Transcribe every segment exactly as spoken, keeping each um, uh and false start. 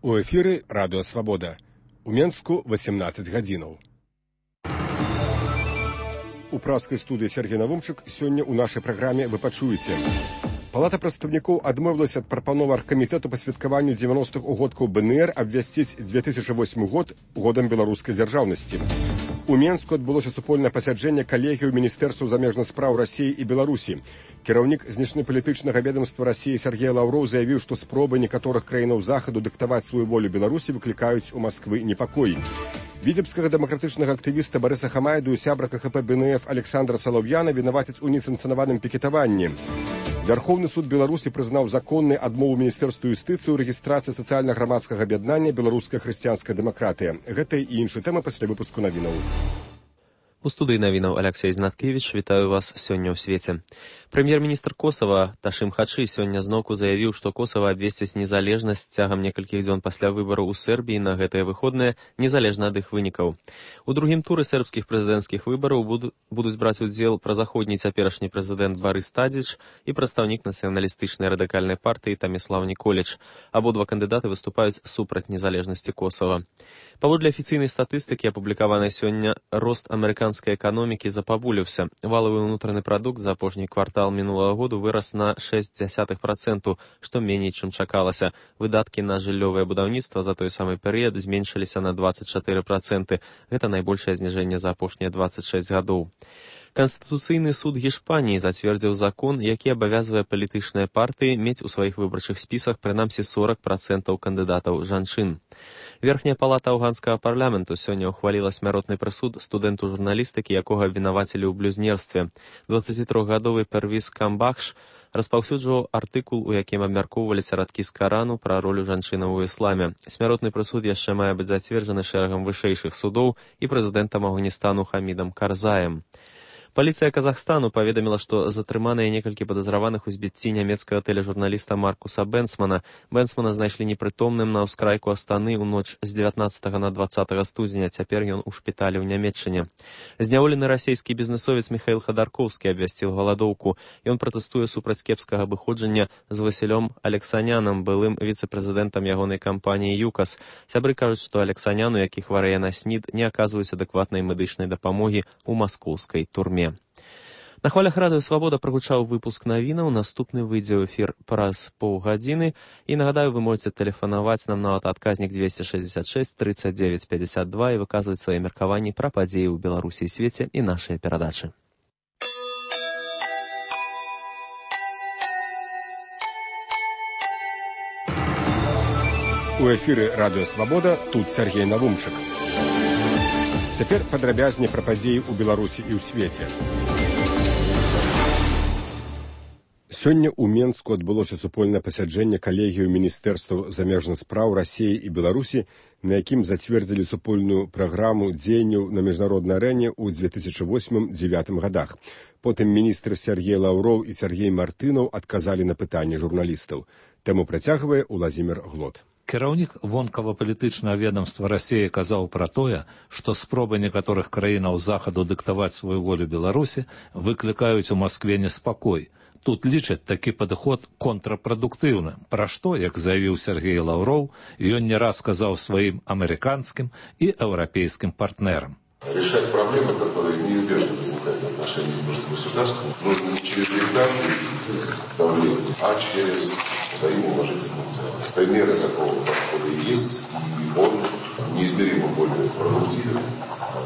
У эфіры Радыё Свабода. У Менску восемнадцать гадзінаў. У праскай студыі Сергей Навумчык сёння ў нашай праграме вы пачуеце. Палата прадстаўнікоў адмовілася ад прапановы аргкамітэту па святкаванню дзевяностых годкаў БНР абвясціць две тысячи восьмы год годам беларускай дзяржаўнасці. У Менску адбылося супольнае пасяджэнне калегіяў міністэрстваў замежных спраў Расіі і Беларусі. Кіраўнік знешнепалітычнага ведомства Расіі Сергей Лаўроў заявіў, што спробы некаторых краінаў захаду дыктаваць сваю волю Беларусі выклікаюць у Масквы непакой. Віцебскага дэмакратычнага актывіста Барыса Хамайду і сябра КХП БНФ Александра Салаўяна вінавацяць у несанкцыянаваным пікетаванні. Вярхоўны суд Беларусі прызнаў законнай адмову міністэрству юстыцыі ў рэгістрацыі сацыяльна-грамадскага аб'яднання «Беларуская хрысціянская дэмакратыя». Гэта і іншыя тэмы пасля выпуску навінаў. У студыі навінаў Алексей Знаткевіч, вітаю вас сёння ў свеце. Прэм'ер-міністр Косава Ташым Хачы сёння зноўку заявіў, што Косава абвесціць незалежнасць цягам некалькіх дзён пасля выбараў у Сербіі на гэтыя выходныя, незалежна ад іх вынікаў. У другім туры сербскіх прэзідэнцкіх выбараў буду, будуць браць удзел празаходні цяперашні прэзідэнт Барыс Тадзіч і прадстаўнік нацыяналістычнай радыкальнай партыі Таміслаў Ніколіч. Абодва кандыдаты выступаюць супраць незалежнасці Косава. Паводле афіцыйнай статыстыкі, апублікаванай сёння, рост амерыканскай эканомікі запаволіўся. Валавы ўнутраны прадукт за апошні квартал мінулага году вырас на шэсць дзясятых працэнта, што меней, чым чакалася. Выдаткі на жыллёвае будаўніцтва за той самы перыяд зменшыліся на дваццаць чатыры працэнты. Гэта найбольшае зніжэнне за апошнія дваццаць шэсць гадоў. Канстытуцыйны суд Гішпаніі зацвердзіў закон, які абавязвае палітычныя партыі мець у сваіх выбарчых спісах прынамсі сорок працэнтаў кандыдатаў жанчын. Верхняя палата афганскага парламенту сёння ўхваліла смяротны прысуд студэнту журналістыкі, якога абвінавацілі ў блюзнерстве. дваццацітрохгадовы Первіз Камбахш распаўсюджваў артыкул, у якім абмяркоўваліся радкі з Карану пра ролю жанчынаў у ісламе. Смяротны прысуд яшчэ мае быць зацверджаны шэрагам вышэйшых судоў і прэзідэнтам Афганістану Хамідам Карзаем. Паліцыя Казахстану паведаміла, што затрыманыя некалькі падазраваных у збіцці нямецкага тэлежурналіста Маркуса Бенсмана. Бенсмана знайшлі непрытомным на ўскрайку Астаны ў ноч з дзевятнаццатага на дваццатага студзеня. Цяпер ён у шпіталі ў Нямецчыне. Зняволены расійскі бізнесовец Міхаіл Хадаркоўскі абвясціў галадоўку. Ён пратэстуе супраць кепскага абыходжання з Васілём Алексанянам, былым віцэ-прэзідэнтам ягонай кампаніі «ЮКАС». Сябры кажуць, што Алексаняну, які хварэе на снід, не аказваюць адэкватнай медычнай дапамогі ў маскоўскай турме. На хвалях Радыё Свабода прагучаў выпуск навінаў, наступны выйдзе ў эфір праз паўгадзіны. І нагадаю, вы можете тэлефанаваць нам на адказнік двести шестьдесят шесть тридцать девять пятьдесят два і выказваць свае меркаванні пра падзеі ў Беларусі і свеце і нашыя перадачы. У эфіры Радыё Свабода, тут Сергей Навумчык. Цяпер падрабязней пра падзеі ў Беларусі і ў свеце. Сёння ў Менску адбылося супольнае пасяджэнне калегіяў міністэрстваў замежных спраў Расіі і Беларусі, на якім зацвердзілі супольную праграму дзеянняў на міжнароднай арэне ў две тысячи восьмым — две тысячи девятым гадах. Потым міністры Сергей Лаўроў і Сергей Мартынаў адказалі на пытанні журналістаў. Тэму працягвае Уладзімір Глот. Кіраўнік вонкава-палітычнага ведомства Расіі казаў пра тое, што спробы некаторых краінаў захаду дыктаваць сваю волю Беларусі выклікаюць у Маскве неспакой. Тут лічаць такі падыход контрапрадуктыўным, пра што, як заявіў Сергей Лаўроў, ён не раз сказаў сваім амерыканскім і еўрапейскім партнерам. Решать проблемы, которые неизбежно возникают в отношениях между государствами, нужно не через диктаты давления, а через взаимоуважительные взгляды. Примеры такого подхода есть, и он неизмеримо более продуктивен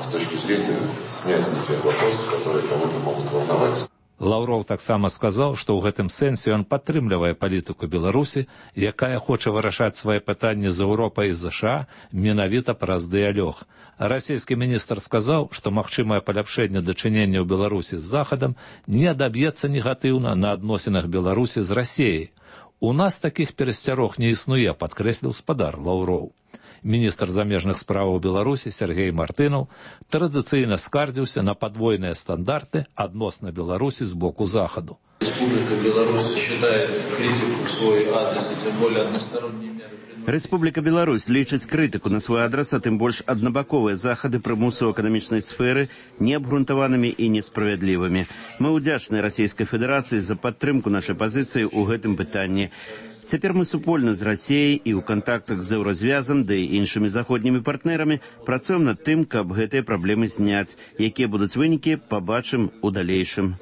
с точки зрения снятия тех вопросов, которые кого-то могут волновать. Лаўроў таксама сказаў, што ў гэтым сэнсе ён падтрымлівае палітыку Беларусі, якая хоча вырашаць свае пытанні з Еўропай і ЗША менавіта праз дыялог. Расійскі міністр сказаў, што магчымае паляпшэнне дачынення ў Беларусі з Захадам не адаб'ецца негатыўна на адносінах Беларусі з Расіяй. У нас такіх перасцярог не існуе, падкрэсліў спадар Лаўроў. Міністр замежных спраў Беларусі Сергей Мартынаў традыцыйна скардзіўся на падвойныя стандарты адносна Беларусі з боку Захаду. Республика Беларусь считает критику в свой адрес и тем более односторонние меры. Рэспубліка Беларусь лічыць крытыку на свой адрас, а тым больш аднабаковыя захады прымусу ў эканамічнай сферы неабгрунтаванымі і несправядлівымі. Мы ўдзячныя Расійскай Федэрацыі за падтрымку нашай пазіцыі ў гэтым пытанні. Цяпер мы супольна з Расіяй і ў кантактах з Еўразвязам, да і іншымі заходнімі партнерамі працуем над тым, каб гэтыя праблемы зняць. Якія будуць вынікі, пабачым у далейшым.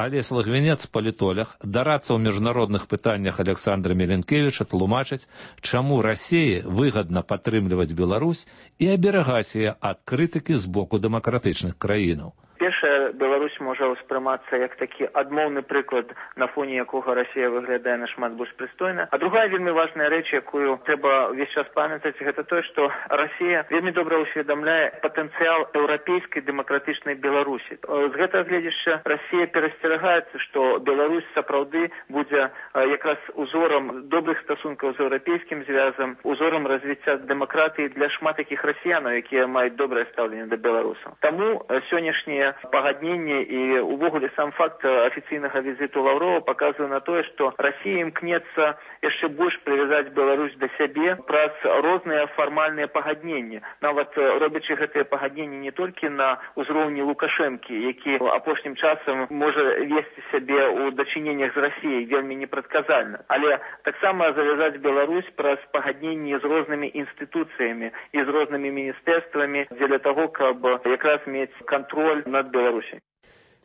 Алесь Лагвінец, палітолог, дарацца ў міжнародных пытаннях Александра Меленкевіча тлумачыць, чаму Расіі выгадна падтрымліваць Беларусь і аберагаць яе ад крытыкі з боку дэмакратычных краінаў. Першая, Беларусь можа ўспрымацца як такі адмоўны прыклад, на фоне якога Расія выглядае нашмат больш прыстойна. А другая вельмі важная рэч, якую трэба ўвесь час памятаць, гэта тое, што Расія вельмі добра ўсведамляе патэнцыял еўрапейскай дэмакратычнай Беларусі. З гэтага гледзяча Расія перасцерагаецца, што Беларусь сапраўды будзе якраз узорам добрых стасункаў з еўрапейскім звязам, узорам развіцця дэмакратыі для шмат такіх расіянаў, якія маюць добрае стаўленне да беларусаў. Таму сённяшнія пагадненне і увогуле сам факт афіцыйнага візіту Лаўрова паказвае на тое, што Расія імкнецца яшчэ больш прывязаць Беларусь да сябе праз розныя фармальныя пагадненні. Нават робячы гэтыя пагадненні не толькі на ўзроўні Лукашэнкі, які апошнім часам можа весці сябе ў дачыненнях з Расіяй вельмі непрадказальна, але таксама завязаць Беларусь праз пагадненні з рознымі інстытуцыямі і з рознымі міністэрствамі дзеля таго, каб якраз мець кантроль на Беларусі.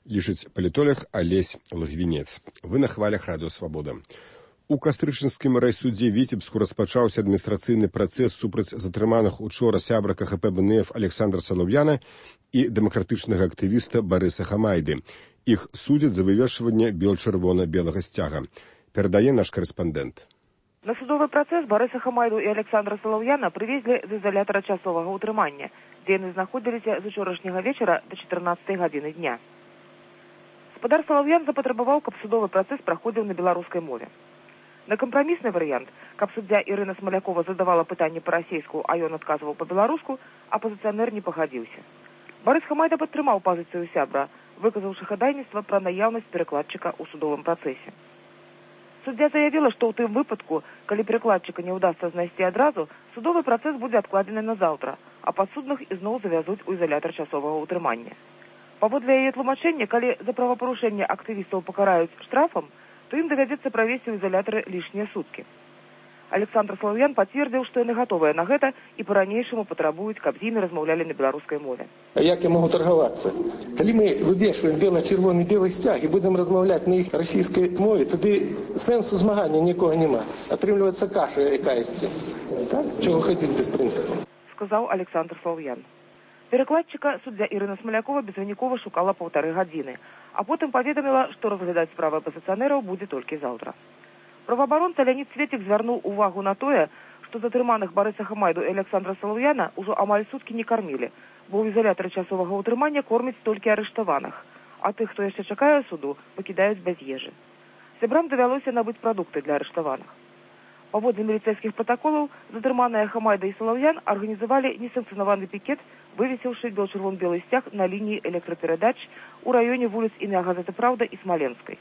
Лічыць палітолог Алесь Лагвінец. Вы на хвалях радыё Свабода. У кастрычніцкім райсудзе Віцебску распачаўся адміністрацыйны працэс супраць затрыманых учора сябра КХП БНФ Александра Салаўяна і дэмакратычнага актывіста Барыса Хамайды. Іх судзяць за вывешванне бел-чырвона-белага сцяга. Перадае наш карэспандэнт. На судовы працэс Барыса Хамайду і Александра Салаўяна прывезлі з ізалятара часовага ўтрымання, дзе яны знаходзіліся з учорашняга вечара да чатырнаццатай гадзіны дня. Спадар Салаўян запатрабаваў, каб судовы працэс праходзіў на беларускай мове. На кампрамісны варыянт, каб суддзя Ірына Смалякова задавала пытанне па-расейску, а ён адказваў па-беларуску, апазіцыянер не пагадзіўся. Барыс Хамайда падтрымаў пазіцыю сябра, выказаўшы хадайніцтва пра наяўнасць перакладчыка ў судовым працэсе. Суддзя заявіла, што ў тым выпадку, калі перакладчыка не ўдасца знайсці адразу, судовы працэс будзе адкладзены на заўтра, а падсудных ізноў завязуць у ізалятар часовага ўтрымання. Паводле яе тлумачэння, калі за правапарушэнне актывістаў пакараюць штрафам, то ім давядзецца правесці ў ізалятары лішнія суткі. Александр Салаўян пацвердзіў, што яны гатовыя на гэта і па-ранейшаму патрабуюць, каб з імі размаўлялі на беларускай мове. А як я могу торгавацца? Калі мы вывешваем бела-чырвоны белы сцяг і будзем размаўляць на іх расійскай мове, тады сэнсу змагання нікога няма. Атрымліваецца каша якаясьці. Так? Чого хацець без прынцыпу? Сказаў Александр Салаўян. Перакладчыка суддзя Ірына Смалякова безвынікова шукала паўтары гадзіны, а потым паведаміла, што разглядаць справы апазіцыянераў будзе толькі заўтра. Праваабаронца Леонід Цветик звярнуў увагу на тое, што затрыманых Барыса Хамайду і Александра Салаўяна ўжо амаль суткі не кармілі, бо ў ізалятары часовага ўтрымання кормяць толькі арыштаваных, а тых, хто яшчэ чакае суду, пакідаюць без ежы. Сябрам давялося набыць прадукты для арыштаваных. Паводле міліцэйскіх пратаколаў, затрыманыя Хамайда і Салаўян арганізавалі несанкцыянаваны пікет, вывесіўшы бел-чырвон-белы сцяг на лініі электраперадач у раёне вуліц імя газеты «Праўда» і Смаленскай.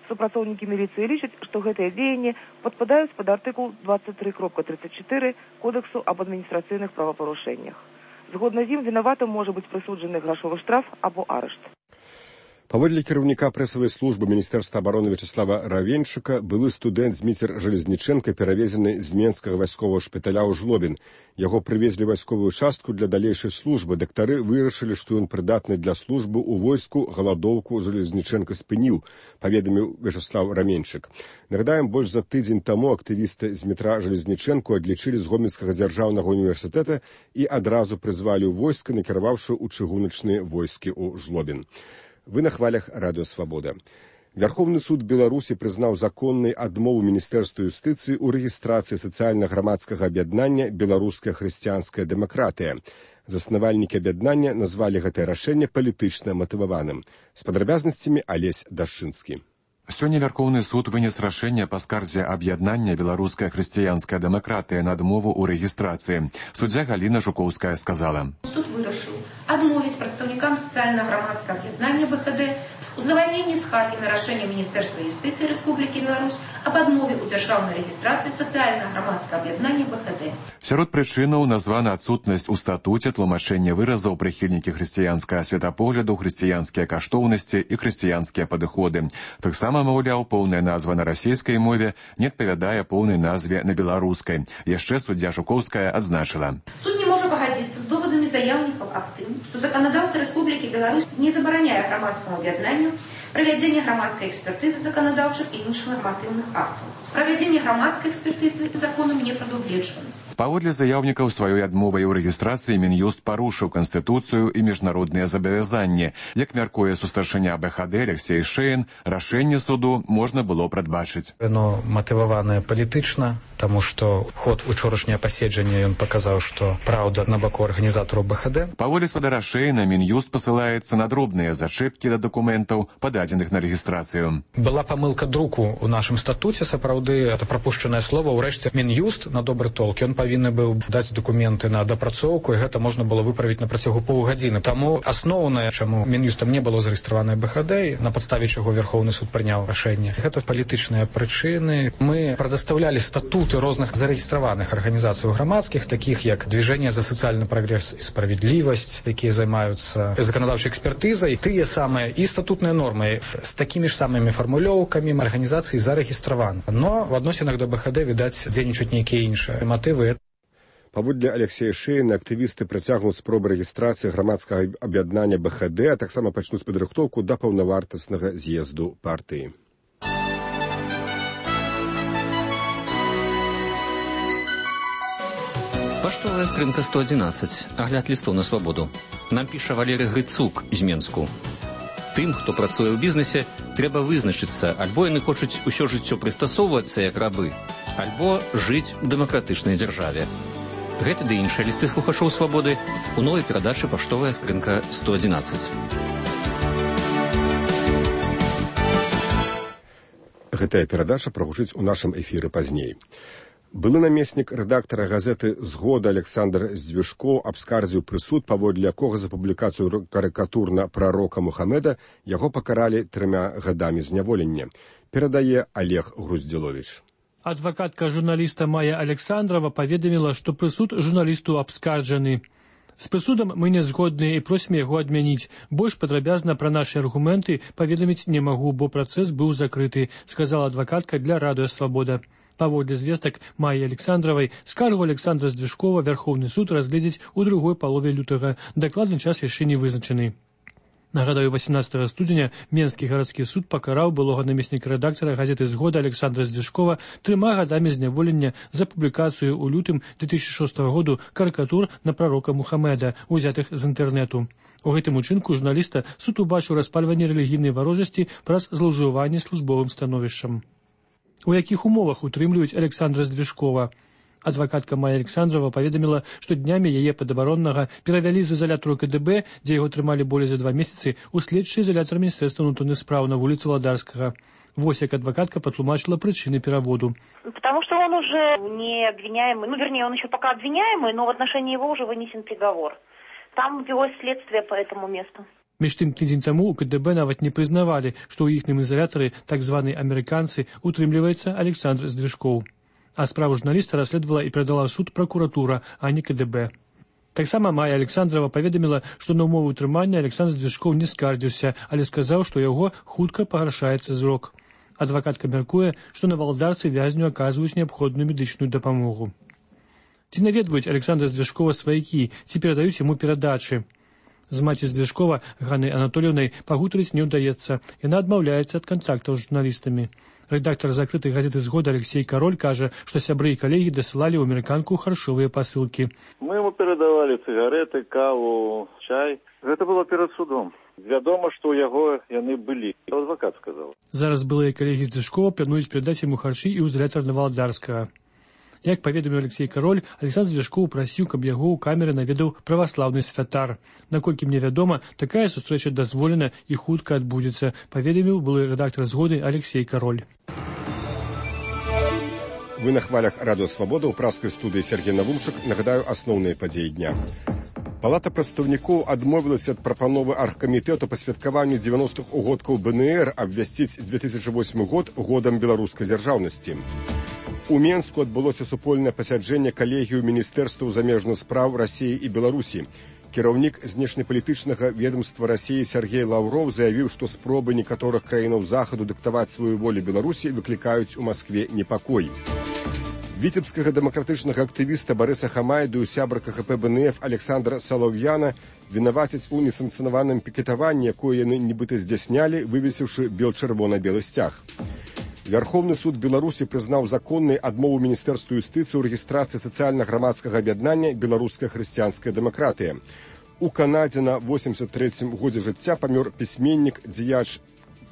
Супрацоўнікі міліцыі лічаць, што гэтыя дзеянні падпадаюць пад артыкул двадцать три тридцать четыре Кодексу аб адміністрацыйных правапарушэннях. Згодна з ім вінаватым можа быць прысуджаны грашовы штраф або арышт. Паводле кіраўніка прэсавай службы Міністэрства абароны Вячеслава Равенчука, былы студэнт Зміцер Жалезнічэнка перавезены з Менскага вайсковага шпіталя ў Жлобін. Яго прывезлі вайсковую частку для далейшай службы. Дактары вырашылі, што ён прыдатны для службы ў войску, галадоўку Жалезнічэнка спыніў, паведаміў Вячеслав Равенчук. Нагадаем, больш за тыдзень таму актывісты з метра Жалезнічэнку адлічылі з Гомельскага дзяржаўнага універсітэта і адразу прызвалі ў войска, накіраваўшы ў чыгуначныя войскі ў Жлобін. Вы на хвалях радыё Свабода. Вярхоўны суд Беларусі прызнаў законнай адмову Міністэрства юстыцыі ў рэгістрацыі сацыяльна-грамадскага аб'яднання «Беларуская хрысціянская дэмакратыя». Заснавальнікі аб'яднання назвалі гэтае рашэнне палітычна матываваным. З падрабязнасцямі Алесь Дашчынскі. Сёння Вярхоўны суд вынес рашэнне па скардзе аб'яднання «Беларуская хрысціянская дэмакратыя» на адмову ў рэгістрацыі. Суддзя Галіна Жукоўская сказала. Суд вырашыў адмовіць прадстаўніка представникам социально-громадского объединения БХД у задовольнении скарги на рашение Министерства юстиции Республики Беларусь об отмове у державной регистрации социально-громадского объединения БХД. Сярод прычынаў названа адсутнасць у статуце тлумачэння выразаў прыхільнікі хрысціянскага светапогляду, хрысціянскія каштоўнасці і хрысціянскія падыходы. Таксама, маўляў, поўная назва на расійскай мове не адпавядае поўнай назве на беларускай. Яшчэ суддзя Жукоўская адзначыла. Суд не может погодиться с доводами заявников об том, что законодательство Республики Беларусь не забороняет громадскому объединению проведение громадской экспертизы законодавчих и інших нормативных актов. Проведение громадской экспертизы законом не предугледжено. Паводле заяўнікаў сваёй адмовай у рэгістрацыі Мін'юст парушыў Канстытуцыю і міжнародныя забавязанні. Як мяркуе сустаршыня БХД Алексей Шейн, рашэнне суду можна было прадбачыць. Оно матываванае палітычна, таму што ход учорашняе паседжання ён паказаў, што праўда на баку арганізатараў БХД. Паводле спадара Шейна, Мін'юст пасылаецца на дробныя зачэпкі да дакументаў, пададзеных на рэгістрацыю. Была памылка друку ў нашым статуце, сапраўды, это прапушчанае слова. Урэшце Мін'юст на добры толк, ён павінны быў даць дакументы на дапрацоўку, і гэта можна было выправіць на працягу паўгадзіны. Таму асноўнае, чаму Мін'юстам не было зарэгістраванае БХД, на падставе чаго Верховны суд прыняў рашэнне, гэта палітычныя прычыны. Мы прадастаўлялі статуты розных зарэгістраваных арганізацый грамадскіх, такіх як Движение за сацыяльны прагрэс і справядлівасць, якія займаюцца заканадаўчай экспертызай, тыя самыя і статутныя нормы з такімі ж самымі фармулёўкамі арганізацыі зарэгістраваны. Но в адносінах да БХД, відаць, дзейнічаюць нейкія іншыя матывы. Паводле Алексея Шейна, актывісты працягнуць спробы рэгістрацыі грамадскага аб'яднання БХД, а таксама пачнуць падрыхтоўку да паўнавартаснага з'езду партыі. Паштовая скрынка сто адзінаццаць. Агляд лістоў на свабоду. Нам піша Валерый Грыцук з Менску. Тым, хто працуе ў бізнесе, трэба вызначыцца, альбо яны хочуць усё жыццё прыстасоўвацца як рабы, альбо жыць у дэмакратычнай дзяржаве. Гэты ды іншыя лісты слухачоў свабоды у новай перадачы «Паштовая скрынка сто адзінаццаць». Гэтая перадача прагучыць у нашым эфіры пазней. Былы намеснік рэдактара газеты «Згода» Александр Здвижко абскардзіў прысуд, паводле якога за публікацыю карыкатур на прарока Мухаммеда яго пакаралі трыма гадамі зняволення. Перадае Олег Груздзіловіч. Адвакатка журналіста Майя Александрова паведаміла, што прысуд журналісту абскарджаны. З прысудам мы не згодныя і просім яго адмяніць. Больш падрабязна пра нашы аргументы паведаміць не магу, бо працэс быў закрыты, сказала адвакатка для радыё «Свабода». Паводле звестак Майі Александровай, скаргу Александра Здвижкова Верховны суд разгледзіць у другой палове лютага. Дакладны час яшчэ не вызначаны. Нагадаю, восемнадцатого студзеня Менскі гарадскі суд пакараў былога намесніка рэдактара газеты «Згода» Александра Здвижкова трыма гадамі зняволення за публікацыю ў лютым две тысячи шостого году карыкатур на прарока Мухаммеда, узятых з інтэрнэту. У гэтым учынку журналіста суд убачыў распальванне рэлігійнай варожасці праз злоўжыванне службовым становішчам. У якіх умовах утрымліваюць Александра Здвижкова? Адвакатка Майя Александрова паведаміла, што днямі яе падабароннага перавялі з изолятару КДБ, дзе яго трымалі болей за два месяцы, у следчы изолятар Міністэрства ўнутраных спраў на вуліцы Ладарскага. Вось як адвокатка потлумачила причины переводу. Потому что он уже не обвиняемый, ну вернее он еще пока обвиняемый, но в отношении его уже вынесен приговор. Там велось следствие по этому месту. Між тым, тыдзень таму у КДБ нават не прызнавалі, што ў іхнім изолятары так званыя амерыканцы утрымліваецца Александр Здвижков. А справу журналіста расследавала і перадала суд прокуратура, а не КДБ. Таксама Майя Александрова паведаміла, што на ўмовы ўтрымання Александр Здвижков не скардзіўся, але сказаў, што яго хутка пагаршаецца зрок. Адвакатка мяркуе, што на валдарцы вязню аказваюць неабходную медычную дапамогу. Ці наведваюць Александра Здвижкова сваякі, ці перадаюць яму перадачы. З маці Здвижкова, Ганнай Анатольевнай, пагутарыць не ўдаецца. Яна адмаўляецца ад кантактаў з журналістамі. Рэдактар закрытай газеты «Згода» Алексей Король кажа, што сябры і калегі дасылалі ў амерыканку харчовыя пасылкі. Мы ему перадавалі цыгареты, каву, чай. Гэта было перад судом. Вядома, што ў яго яны былі. Адвакат сказаў. Зараз былыя калегі Здвижкова плануюць перадаць яму харчы і ў изолятар Новоалдарскага. Як паведаміў Алексей Король, Александр Здвижков прасіў, каб яго ў камеры наведаў праваслаўны святар. Наколькі мне вядома, такая сустрэча дазволена і хутка адбудзецца, паведаміў былы рэдактар «Згоды» Алексей Король. Вы на хвалях радыё «Свабода» ў праскай студыі Сергей Навумчык. Нагадаю, асноўныя падзеі дня. Палата прадстаўнікоў адмовілася ад прапановы аргкамітэту па святкаванню дзевяностых угодкаў БНР абвясціць две тысячи восьмы год годам беларускай дзяржаўнасці. У Менску адбылося супольнае пасяджэнне калегію міністэрстваў замежных спраў Расіі і Беларусі. Кіраўнік знешнепалітычнага ведомства Расіі Сергей Лаўров заявіў, што спробы некаторых краінаў захаду дыктаваць сваю волю Беларусі выклікаюць у Маскве непакой. Віцебскага дэмакратычнага актывіста Барыса Хамайду і сябра ка ха пэ бэ эн эф Александра Салаўяна вінавацяць у несанкцыянаваным пікетаванні, якое яны нібыта здзяйснялі, вывесіўшы бел-чырвона-белы сцяг. Вярхоўны суд Беларусі прызнаў законнай адмову Міністэрству юстыцыі ў рэгістрацыі сацыяльна-грамадскага аб'яднання «Беларуская хрысціянская дэмакратыя». У Канадзе на восемьдесят третьем годзе жыцця памёр пісьменнік, дзеяч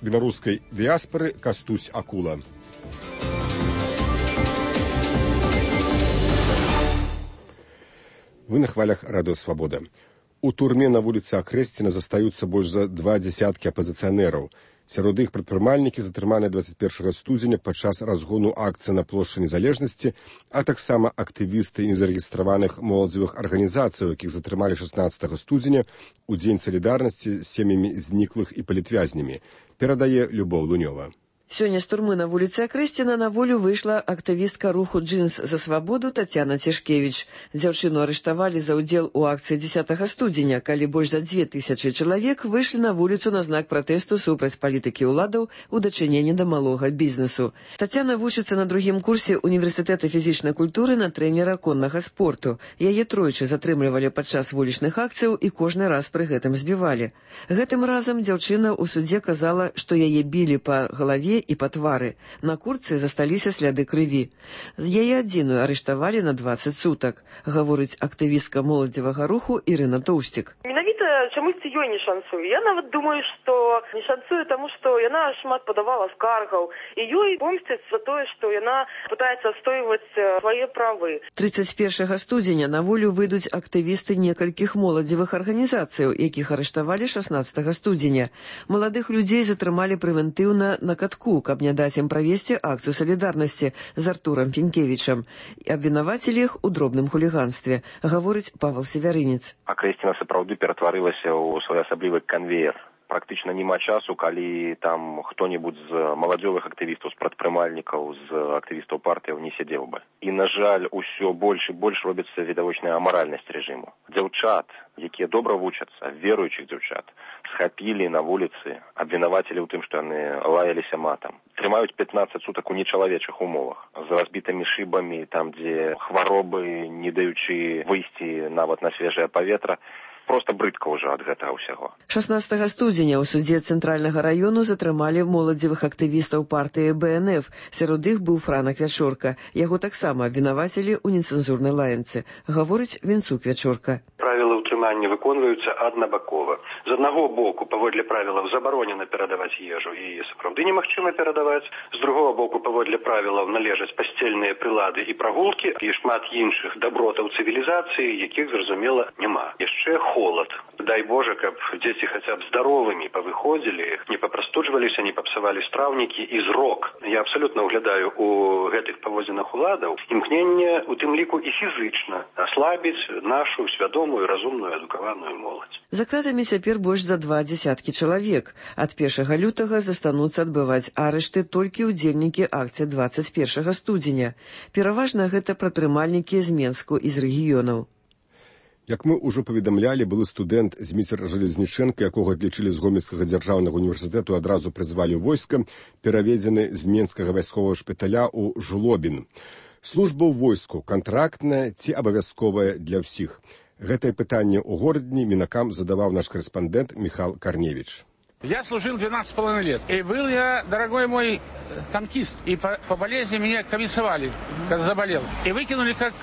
беларускай дыяспары Кастусь Акула. Вы на хвалях Радыё Свабода. У турме на вуліцы Акрэсціна застаюцца больш за два дзесяткі апазіцыянераў. Сярод іх прадпрымальнікі, затрыманыя двадцать першага студзеня падчас разгону акцыі на плошчы Незалежнасці, а таксама актывісты незарэгістраваных моладзевых арганізацый, якіх затрымалі шаснаццатага студзеня у дзень салідарнасці з сем'ямі зніклых і палітвязнямі, перадае Любоў Лунёва. Сёння з турмы на вуліцы Акрэсціна на волю выйшла актывістка руху «Джинс за свабоду» Тацяна Цішкевіч. Дзяўчыну арыштавалі за ўдзел у акцыі дзесятага студзеня, калі больш за дзве тысячы чалавек выйшлі на вуліцу на знак пратэсту супраць палітыкі ўладаў у дачыненні да малога бізнесу. Тацяна вучыцца на другім курсе універсітэта фізічнай культуры на трэнера коннага спорту. Яе тройчы затрымлівалі падчас вулічных акцыяў і кожны раз пры гэтым збівалі. Гэтым разам дзяўчына ў судзе казала, што яе білі па галаве і па твары. На куртцы засталіся сляды крыві. Яе адзіную арыштавалі на двадцать сутак, гаворыць актывістка моладзевага руху Ірына Тоўсцік. Менавіта чамусьці ёй не шанцуе. Я нават думаю, што не шанцуе таму, што яна шмат падавала скаргаў, і ёй помсцяць за тое, што яна пытаецца адстойваць свае правы. тридцать першага студзеня на волю выйдуць актывісты некалькіх моладзевых арганізацыяў, якіх арыштавалі шаснаццатага студзеня. Маладых людзей затрымалі прэвентыўна на катку, каб не даць ім правесці акцыю салідарнасці з Артурам Пенкевічам. Абвінавацілі іх у дробным хуліганстве, гаворыць Павел Севярынец. Акрэсціна сапраўды ператварылася ў своеасаблівы канвеер. Практычна няма часу, калі там хто-небудзь з маладзёвых актывістаў, з прадпрымальнікаў, з актывістаў партыяў не сядзеў бы. І, на жаль, усё больш і больш робіцца відавочная амаральнасць рэжыму. Дзяўчат, якія добра вучацца, веруючых дзяўчат, схапілі на вуліцы, абвінавацілі ў тым, што яны лаяліся матам. Трымаюць пятнадцать сутак у нечалавечых умовах, з разбітымі шыбамі, там, дзе хваробы, не даючы выйсці нават на свежае паветра. Проста брыдка ўжо ад гэтага ўсяго. шаснаццатага студзеня ў судзе цэнтральнага раёну затрымалі моладзевых актывістаў партыі бэ эн эф. Сярод іх быў Франак Вячорка. Яго таксама абвінавацілі ў нецэнзурнай лаянцы, гаворыць Вінцук Вячорка. Правілы ўтрымання выконваюцца аднабакова. З аднаго боку, паводле правілаў, забаронена перадаваць ежу, і сапраўды немагчыма перадаваць. З другого боку, паводле правілаў, належаць пасцельныя прылады і прагулкі, і шмат іншых дабротаў цывілізацыі, якіх, зразумела, няма. Яшчэ холод. Дай Боже, каб дзеці хаця б здаровымі павыходзілі, не папрастуджваліся, не папсавалі страўнікі і зрок. Я абсалютна ўглядаю у гэтых паводзінах уладаў імкненне, у тым ліку і фізычна, аслабіць нашу свядомую, разумную, адукаваную моладзь. За кратамі цяпер больш за два дзесяткі чалавек. Ад першага лютага застануцца адбываць арышты толькі ўдзельнікі акцыі двадцать першага студзеня. Пераважна гэта прадпрымальнікі з Менску і з рэгіёнаў. Як мы ўжо паведамлялі, былы студэнт Зміцер Жалезнічэнка, якога адлічылі з Гомельскага дзяржаўнага універсітэту, адразу прызвалі ў войска, пераведзены з Менскага вайсковага шпіталя ў Жлобін. Служба ў войску кантрактная ці абавязковая для ўсіх? Гэтае пытанне ў горадні Мінакам задаваў наш корэспандэнт Михал Корневич. Я служил двенадцать с половиной лет. И был я, дорогой мой, танкист. И по, по болезни меня комиссовали, когда заболел. И выкинули как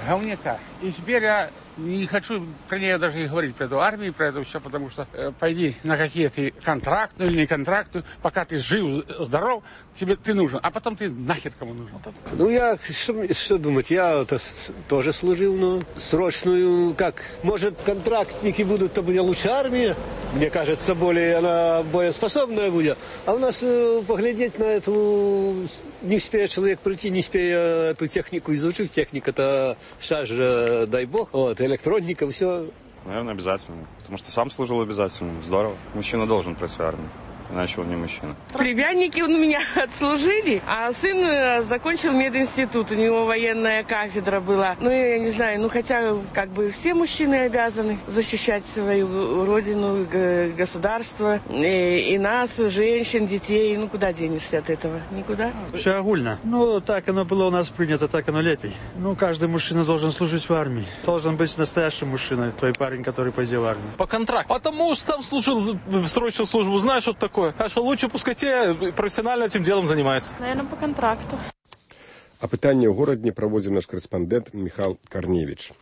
говняка. И теперь я не хочу про нее даже и говорить, про эту армию, про это все, потому что э, пойди на какие-то контрактные или не контрактные, пока ты жив, здоров, тебе ты нужен, а потом ты нахер кому нужен. Ну, я, что, что думать, я это, тоже служил, но срочную, как, может, контрактники будут, то будет лучше армия, мне кажется, более она боеспособная будет, а у нас э, поглядеть на эту, не успеет человек прийти, не успеет эту технику изучить, техника-то, сейчас же, дай бог, вот, электроника, все Наверное, обязательно. Потому что сам служил обязательно. Здорово. Мужчина должен пройти армию. Иначе он не мужчина. Племянники у меня отслужили, а сын закончил мединститут. У него военная кафедра была. Ну, я не знаю, ну хотя как бы все мужчины обязаны защищать свою родину, государство, и, и нас, женщин, детей. Ну, куда денешься от этого? Никуда. Все огульно. Ну, так оно было у нас принято, так оно лепей. Ну, каждый мужчина должен служить в армии. Должен быть настоящим мужчиной, твой парень, который пойдет в армию. По контракту. А там муж сам служил в срочную службу, знаешь, что это такое? А что лучше пускай те профессионально этим делом занимаются. Наверное, по контракту. А пытанне ў горадні праводзіў наш корэспандэнт Михал Карневіч.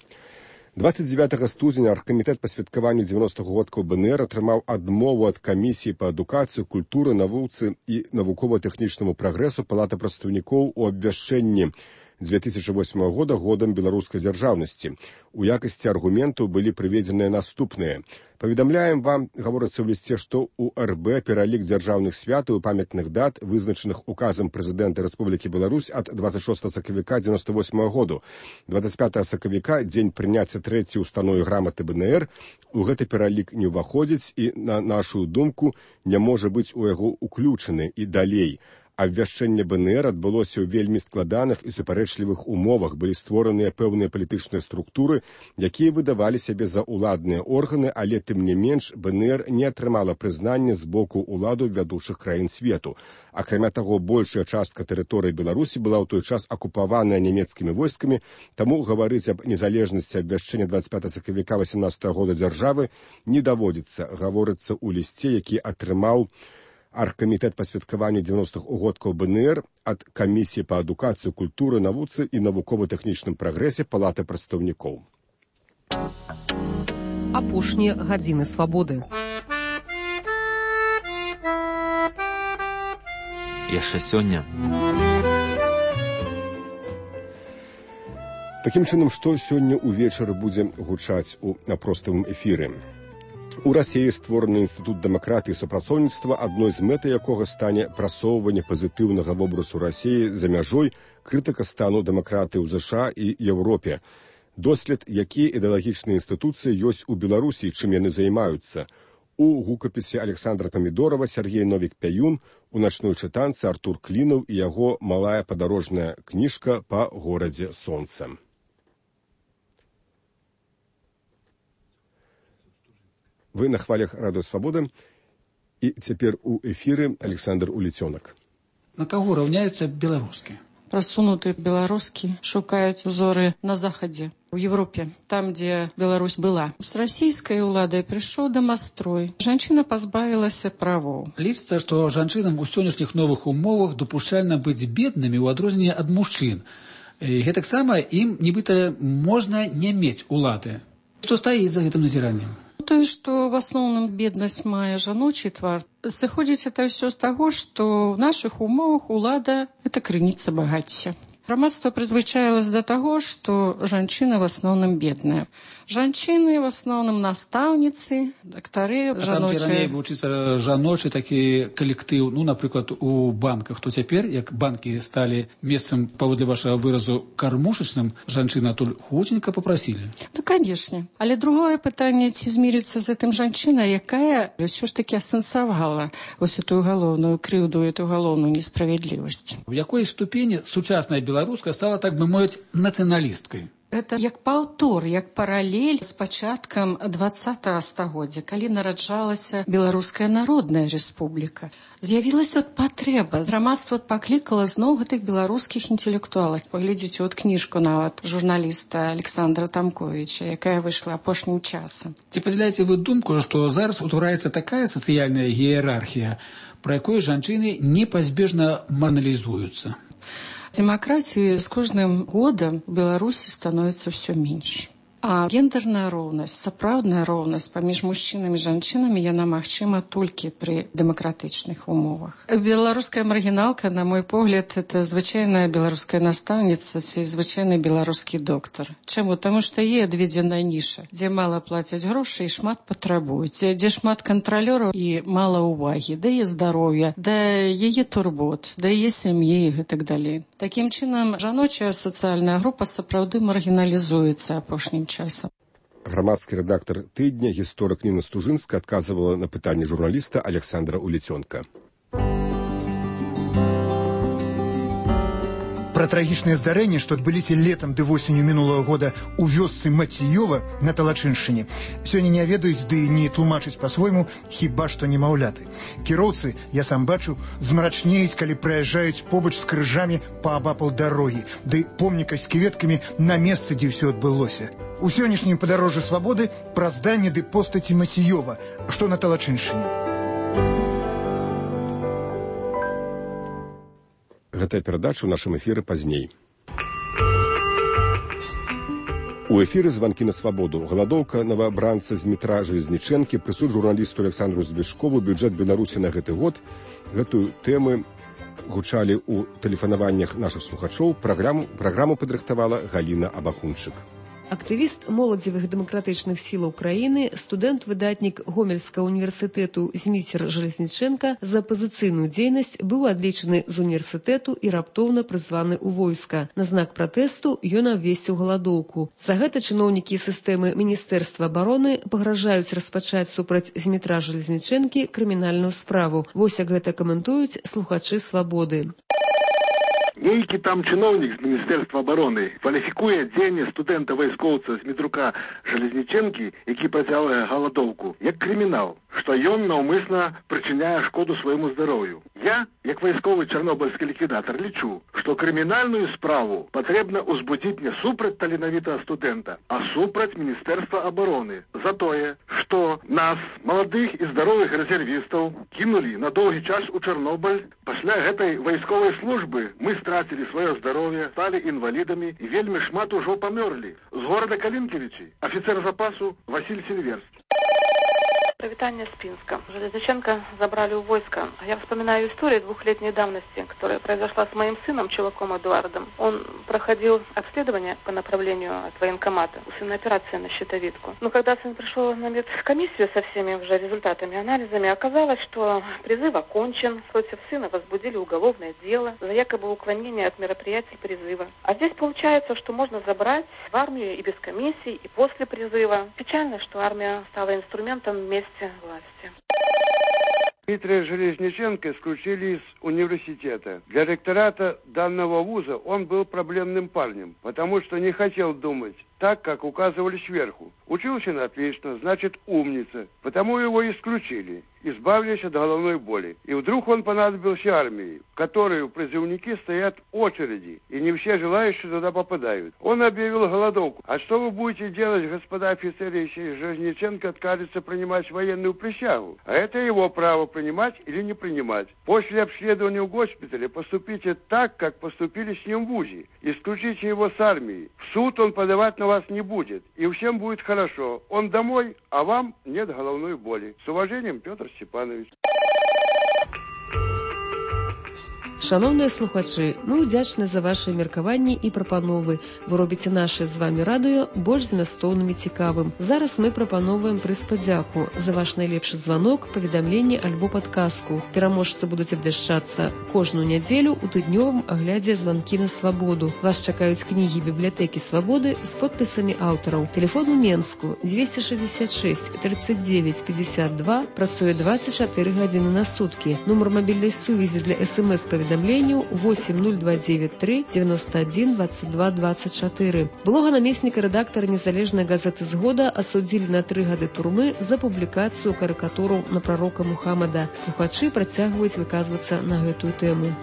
двадцать девятого студзеня аргкамітэт па святкаванню дзевяностых годкаў БНР атрымаў адмову ад камісіі па адукацыі, культуры, навуцы і навукова-тэхнічнаму прагрэсу Палаты прадстаўнікоў у абвяшчэнні две тысячи восьмого года годам беларускай дзяржаўнасці. У якасці аргументаў былі прыведзеныя наступныя. Паведамляем вам, гаворыцца ў лісце, што у РБ пералік дзяржаўных святаў і памятных дат, вызначаных указам прэзідэнта Рэспублікі Беларусь ад двадцать шостого сакавіка девяносто восьмого году. двадцать пятого сакавіка, дзень прыняцця трэцяй установы граматы БНР, у гэты пералік не ўваходзіць і, на нашу думку, не можа быць у яго уключаны і далей. Абвяшчэнне БНР адбылося ў вельмі складаных і супярэчлівых умовах. Былі створаныя пэўныя палітычныя структуры, якія выдавалі сябе за ўладныя органы, але тым не менш БНР не атрымала прызнання з боку ўладаў вядучых краін свету. Акрамя таго, большая частка тэрыторыі Беларусі была ў той час акупаваная нямецкімі войскамі, таму гаварыць аб незалежнасці абвяшчэння двадцать пятого сакавіка восемнадцатого года дзяржавы не даводзіцца. Гаворыцца ў лісце, які атрымаў аргкамітэт па святкаванню дзевяностых годкаў БНР ад камісіі па адукацыі, культуры, навуцы і навукова-тэхнічным прагрэсе Палаты прадстаўнікоў. Апошнія гадзіны свабоды. Яшчэ сёння. Такім чынам, што сёння ўвечары будзе гучаць у простым эфіры. У Расіі створаны інстытут дэмакратыі і супрацоўніцтва, адной з мэтай якога стане прасоўванне пазітыўнага вобразу Расіі за мяжой, крытыка стану дэмакратыі ў ЗША і Еўропе. Дослед, якія ідэалагічныя інстытуцыі ёсць у Беларусі, чым яны займаюцца. У гукапісе Александра Памідорова Сергей Новік-Пяюн, у начной чытанцы Артур Клінаў і яго малая падарожная кніжка па горадзе сонца. Вы на хвалях Радыё Свабода, і цяпер у эфіры Александр Уліцёнак. На каго раўняюцца беларускі? Прасунутыя беларускі шукаюць узоры на захадзе, у Европе, там, дзе Беларусь была. З расійскай уладай прыйшоў дамастрой. Жанчына пазбавілася правоў. Лічыцца, што жанчынам у сённяшніх новых умовах дапушчальна быць беднымі ў адрозненне ад мужчын. І гэтаксама ім нібыта можна не мець улады. Што стаіць за гэтым назіраннем? Тое, што в асноўным беднасць мае жаночы твар, сыходзіць это ўсё з таго, што ў нашых умовах улада – это крыніца багацця. Грамадства прызвычаілася да таго, што жанчына в асноўным бедная. Жанчыны в асноўным настаўніцы, дактары, жаночыя. А там, дзе раней вучыцца жаночы такі калектыў, ну, напрыклад, у банках, то цяпер, як банкі сталі месцам, паводле вашага выразу, кармушачным, жанчына туль хуценька папрасілі. Да, канешне. Але другое пытанне, ці змірыцца з гэтым жанчына, якая ўсё ж такі асэнсавала вось эту галоўную крыўду, эту галоўную несправядлівасць. У якой ступені сучасная беларуска стала, так бы мовіць, нацыяналісткай? Это як паўтор, як паралель з пачаткам двадцатага стагоддзя, калі нараджалася Беларуская народная рэспубліка. З'явілася от патрэба. Грамадства паклікала зноў гэтых беларускіх інтэлектуалаў. Паглядзіце от кніжку нават журналіста Александра Тамковіча, якая выйшла апошнім часам. Ці падзяляеце вы думку, што зараз утвараецца такая сацыяльная іерархія, пра якой жанчыны непазбежна марналізуюцца? Демократии с каждым годом в Беларуси становится все меньше. А гендерная роўнасць, сапраўдная роўнасць паміж мужчынамі і жанчынамі яна магчыма толькі пры дэмакратычных умовах. Беларуская маргіналка, на мой погляд, это звычайная беларуская настаўніца ці звычайны беларускі доктар. Чаму? Таму што ей адведзена ніша, дзе мала плацяць грошы і шмат патрабуюць, дзе шмат кантралёраў і мала ўвагі, да яе здароўя, да яе турбот, да яе сям'і і гэтак далей. Такім чынам, жаночая сацыяльная група сапраўды маргіналізуецца апошнім часам. Грамадскі рэдактар тыдня, гісторык Ніна Стужынска адказвала на пытанні журналіста Александра Улецёнка. Пра трагічныя здарэнні, што адбыліся летам ды восенню мінулага года ў вёсцы Маціёва на Талачыншчыне, сёння не ведаюць ды не тлумачаць па-свойму, хіба што немаўляты. Кіроўцы, я сам бачу, змрачнеюць, калі праязджаюць побач з крыжамі паабапал дарогі, ды помніка з кветкамі на месцы, дзе ўсё адбылося. У сённяшнім падарожжы свабоды пра зданне ды постаці Маціёва, што на Талачыншчыне. Гэтая перадача ў нашым эфіры пазней. У эфіры званкі на свабоду. Галадоўка новабранца з метра Жалезнічэнкі, прысуд журналісту Александру Звешкову, бюджэт Беларусі на гэты год. Гэтую тэмы гучалі ў тэлефанаваннях нашых слухачоў. Праграму, праграму падрыхтавала Галіна Абахунчык. Актывіст моладзевых дэмакратычных сілаў краіны, студэнт-выдатнік Гомельскага універсітэту Зміцер Жалезнічэнка за апазіцыйную дзейнасць быў адлічаны з універсітэту і раптоўна прызваны ў войска. На знак пратэсту ён абвесціў галадоўку. За гэта чыноўнікі сістэмы Міністэрства абароны пагражаюць распачаць супраць Змітра Жалезнічэнкі крымінальную справу. Вось як гэта каментуюць слухачы «Свабоды». Нейкі там чыноўнік з Міністэрства абароны кваліфікуе дзеянне студэнта-вайскоўца Змітрука Жалезнічэнкі, які працягвае галадоўку, як крымінал, што ён наўмысна прычыняе шкоду свайму здароўю. Я, як вайсковы чарнобыльскі ліквідатар, лічу, што крымінальную справу патрэбна ўзбудзіць не супраць таленавітага студэнта, а супраць Міністэрства абароны за тое, што нас, маладых і здаровых рэзервістаў, кінулі на доўгі час у Чарнобыль. Пасля гэтай вайсковай службы мы страцілі сваё здароўе, сталі інвалідамі і вельмі шмат ужо памёрлі. З горада Калінкевічі афіцер запасу Васіль Сильверскі. Провитание Спинска. Железниченко забрали у войска. Я вспоминаю историю двухлетней давности, которая произошла с моим сыном, Чуваком Эдуардом. Он проходил обследование по направлению от военкомата. У сына операция на щитовидку. Но когда сын пришел на медкомиссию со всеми уже результатами, анализами, оказалось, что призыв окончен. Против сына возбудили уголовное дело за якобы уклонение от мероприятий призыва. А здесь получается, что можно забрать в армию и без комиссий, и после призыва. Печально, что армия стала инструментом вместе власти. Дмитрия Железниченко исключили из университета. Для ректората данного вуза он был проблемным парнем, потому что не хотел думать так, как указывали сверху. Учился на отлично, значит умница, потому его исключили, избавились от головной боли. И вдруг он понадобился армии, в которой призывники стоят в очереди, и не все желающие туда попадают. Он объявил голодовку. А что вы будете делать, господа офицеры, если Железниченко откажется принимать военную присягу? А это его право принимать или не принимать. После обследования в госпитале поступите так, как поступили с ним в ВУЗе. Исключите его с армии. В суд он подавать на вас не будет. И всем будет хорошо. Он домой, а вам нет головной боли. С уважением, Петр Степанович. Шановныя слухачы, мы ўдзячны за вашыя меркаванні і прапановы. Вы робіце наше з вами радыё больш змястоўным і цікавым. Зараз мы прапановваем прыз падзяку за ваш найлепшы званок, паведамленне альбо падказку. Пераможцы будуць абвяшчацца кожную нядзелю ў тыднёвым аглядзе званкі на свабоду. Вас чакаюць кнігі бібліятэкі свабоды з подпісамі аўтараў. Телефон у Менску дзвесце шэсцьдзесят шэсць тридцать девять пятьдесят два, працуе двадцать чатыры гадзіны на суткі. Нумар мабільнай сувязі для эс-эм-эс-паведамленняў восемь нуль два девять три девяносто один двадцать два двадцать четыре. Былога намесніка рэдактара незалежнай газеты «Згода» асудзілі на тры гады турмы за публікацыю карыкатуру на прарока Мухаммада. Слухачы працягваюць выказвацца на гэтую тэму.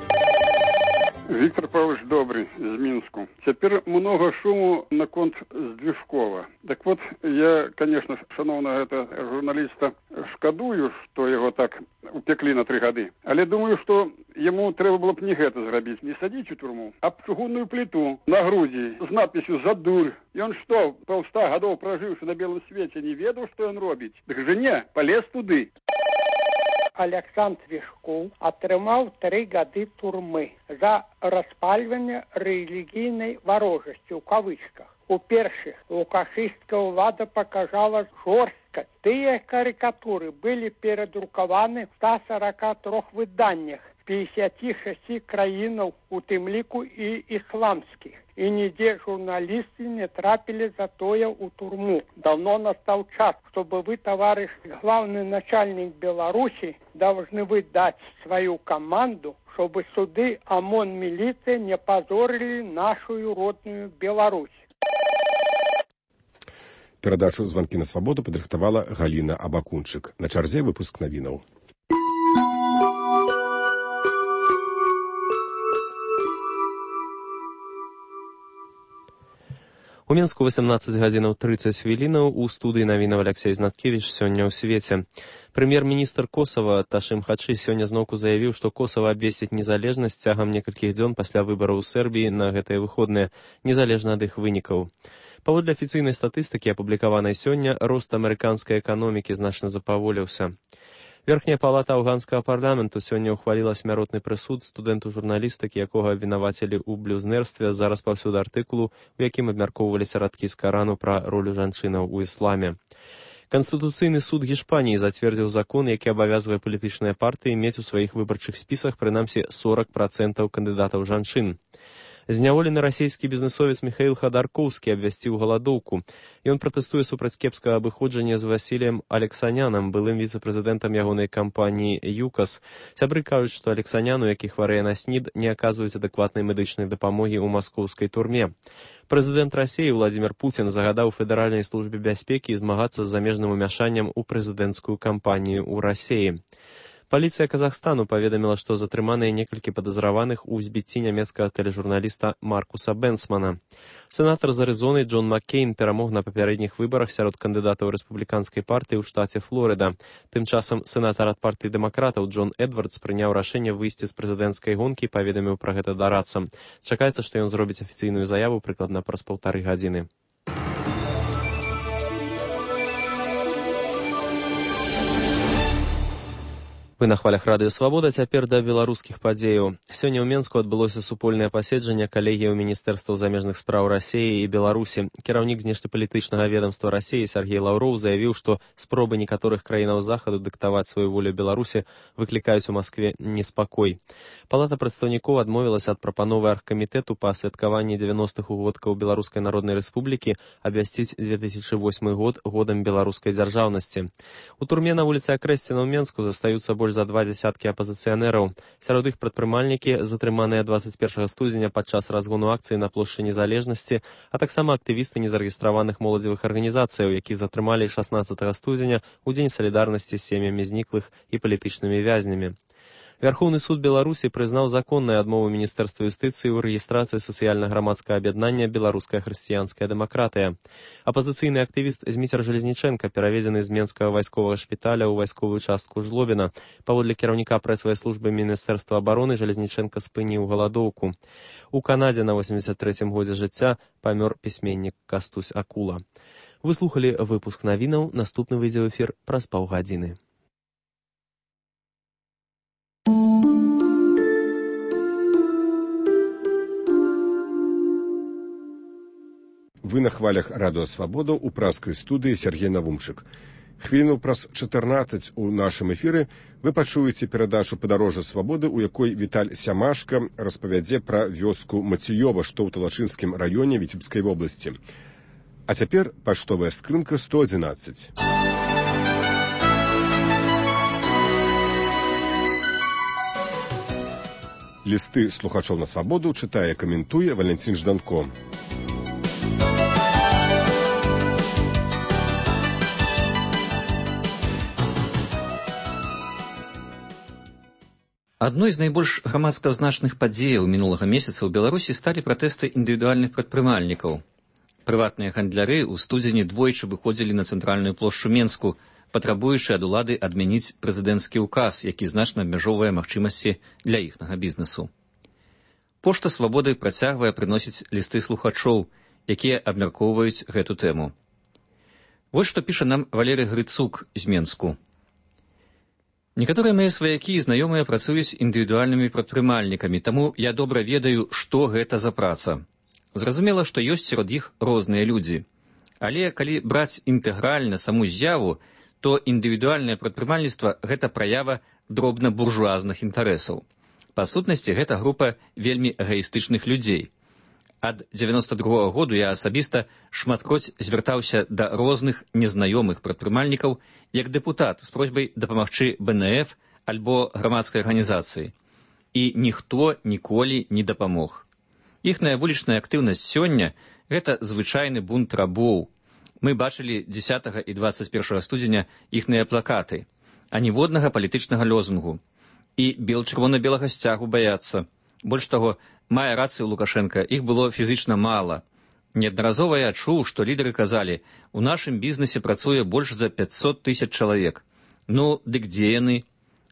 Виктор Павлович Добрый из Минску. Теперь много шуму на конт Здвижкова. Так вот, я, конечно, шановного это журналиста шкадую, что его так упекли на три годы. Але думаю, что ему треба было б не гэта зрабіць, не садить у турму, а чугунную плиту на груди с надписью «За дурь». И он что, полста годов проживший на белом свете, не ведал, что он робить? Так же не, полез туды. Александр Звешков атрымаў тры гады турмы за распальванне рэлігійнай варожасці ў кавычках. У першых лукашысцкая ўлада паказала жорсткасць. Тыя карыкатуры былі перадрукаваны в ста сорока трох выданнях. пятьдесят шесть краінаў, у тым ліку і ісламскіх. І нідзе журналісты не трапілі за тое ў турму. Давно настаў час, чтобы вы, товарищ главный начальник Беларуси, должны вы дать свою команду, чтобы суды ОМОН, милиция не позорили нашу родную Беларусь. Перадачу «Звонки на свободу» падрыхтавала Галина Абакунчык. На чарзе выпуск навінаў. У Мінску восемнадцать гадзінаў тридцать хвілінаў, у студыі навінаў Алексей Знаткевич сёння ў свеце. Прэм'ер-міністр Косава Ташым Хачы сёння зноўку заявіў, што Косава абвесціць незалежнасць цягам некалькіх дзён пасля выбараў у Сербіі на гэтыя выходныя, незалежна ад іх вынікаў. Паводле афіцыйнай статыстыкі, апублікаванай сёння, рост амерыканскай эканомікі значна запаволіўся. Верхняя палата афганскага парламенту сёння ўхваліла смяротны прысуд студэнту журналістыкі, якога абвінавацілі ў блюзнерстве за распаўсюд артыкулу, у якім абмяркоўваліся радкі з Карану пра ролю жанчынаў у ісламе. Канстытуцыйны суд Гішпаніі зацвердзіў закон, які абавязвае палітычныя партыі мець у сваіх выбарчых спісах прынамсі сорок процентаў кандыдатаў жанчын. Зняволены расійскі бізнесовец Міхаіл Хадаркоўскі абвясціў галадоўку. Ён пратэстуе супраць кепскага абыходжання з Васіліем Алексанянам, былым віцэ-прэзідэнтам ягонай кампаніі «ЮКАС». Сябры кажуць, што Алексаняну, які хварэе на снід, не аказваюць адэкватнай медычнай дапамогі ў маскоўскай турме. Прэзідэнт Расіі Владзімір Пуцін загадаў Федэральнай службе бяспекі змагацца з замежным умяшаннем у прэзідэнцкую кампанію ў Расіі. Паліцыя Казахстану паведаміла, што затрыманыя некалькі падазраваных у збіцці нямецкага тэлежурналіста Маркуса Бенсмана. Сенатар з Арызоны Джон Маккейн перамог на папярэдніх выбарах сярод кандыдатаў рэспубліканскай партыі ў штаце Флорыда. Тым часам сенатар ад партыі дэмакратаў Джон Эдвардс прыняў рашэнне выйсці з прэзідэнцкай гонкі і паведаміў пра гэта дарадцам. Чакаецца, што ён зробіць афіцыйную заяву прыкладна праз паўтары гадзіны. Вы на хвалях радыё «Свабода», цяпер да беларускіх падзеяў. Сёння ў Менску адбылося супольнае паседжанне калегіяў міністэрстваў замежных спраў Расіі і Беларусі. Кіраўнік знешнепалітычнага ведамства Расіі Сергей Лаўроў заявіў, што спробы некаторых краінаў захаду дыктаваць сваю волю Беларусі выклікаюць у Маскве неспакой. Палата прадстаўнікоў адмовілася ад прапановы аргкамітэту па святкаванні дзевяностых угодкаў Беларускай Народнай Рэспублікі абвясціць две тысячы восьмы год годам беларускай дзяржаўнасці. У турме на вуліцы Акрэсціна ў Менску застаюцца больш за два дзясяткі апазіцыянераў. Сярод іх прадпрымальнікі, затрыманыя двадцать першага студзеня падчас разгону акцыі на плошчы Незалежнасці, а таксама актывісты незарэгістраваных моладзевых арганізацыяў, якіх затрымалі шаснаццатага студзеня ў дзень салідарнасці з сем'ямі зніклых і палітычнымі вязнямі. Вярхоўны суд Беларусі прызнаў законнай адмову Міністэрства юстыцыі ў рэгістрацыі сацыяльна-грамадскага аб'яднання «Беларуская хрысціянская дэмакратыя». Апазіцыйны актывіст Зміцер Жалезнічэнка пераведзены з Менскага вайсковага шпіталя ў вайсковую частку Жлобіна. Паводле кіраўніка прэсавай службы Міністэрства абароны Жалезнічэнка спыніў галадоўку. У Канадзе на восемьдесят трэцім годзе жыцця памёр пісьменнік Кастусь Акула. Вы слухалі выпуск навінаў, наступны выйдзе ў эфір праз паўгадзіны. Вы на хвалях радыё «Свабода» у праскай студыі Сергей Навумчык. Хвіліну праз чатырнаццаць у нашым эфіры вы пачуеце перадачу «Падарожжа свабоды», у якой Віталь Сямашка распавядзе пра вёску Мацыёва, што ў Талачынскім раёне Віцебскай вобласці. А цяпер паштовая скрынка сто адзінаццаць. Лісты слухачоў на свабоду чытае, каментуе Валянцін Жданко. Адной з найбольш грамадска значных падзеяў мінулага месяца ў Беларусі сталі пратэсты індывідуальных прадпрымальнікаў. Прыватныя гандляры ў студзені двойчы выходзілі на цэнтральную плошчу Менску, патрабуючы ад улады адмяніць прэзідэнцкі ўказ, які значна абмяжоўвае магчымасці для іхнага бізнесу. Пошта свабоды працягвае прыносіць лісты слухачоў, якія абмяркоўваюць гэту тэму. Вось што піша нам Валерый Грыцук з Менску. Некаторыя мае сваякі і знаёмыя працуюць індывідуальнымі прадпрымальнікамі, таму я добра ведаю, што гэта за праца. Зразумела, што ёсць сярод іх розныя людзі. Але калі браць інтэгральна саму з'яву, то індывідуальнае прадпрымальніцтва – гэта праява дробна-буржуазных інтарэсаў. Па сутнасці, гэта група вельмі эгоістычных людзей. Ад дзевяноста другога году я асабіста шматкроць звяртаўся да розных незнаёмых прадпрымальнікаў як дэпутат з просьбай дапамагчы бэ эн эф альбо грамадскай арганізацыі. І ніхто ніколі не дапамог. Іхная вулічная актыўнасць сёння – гэта звычайны бунт рабоў. Мы бачылі дзесятага і дваццаць першага студзеня іхныя плакаты, а ніводнага палітычнага лозунгу. І бел-чырвона-белага сцягу баяцца. Больш таго, мае рацыю Лукашенка, іх было фізічна мала. Неаднаразова я чуў, што лідары казалі, у нашым бізнесе працуе больш за пяцьсот тысяч чалавек. Ну, дык дзе яны?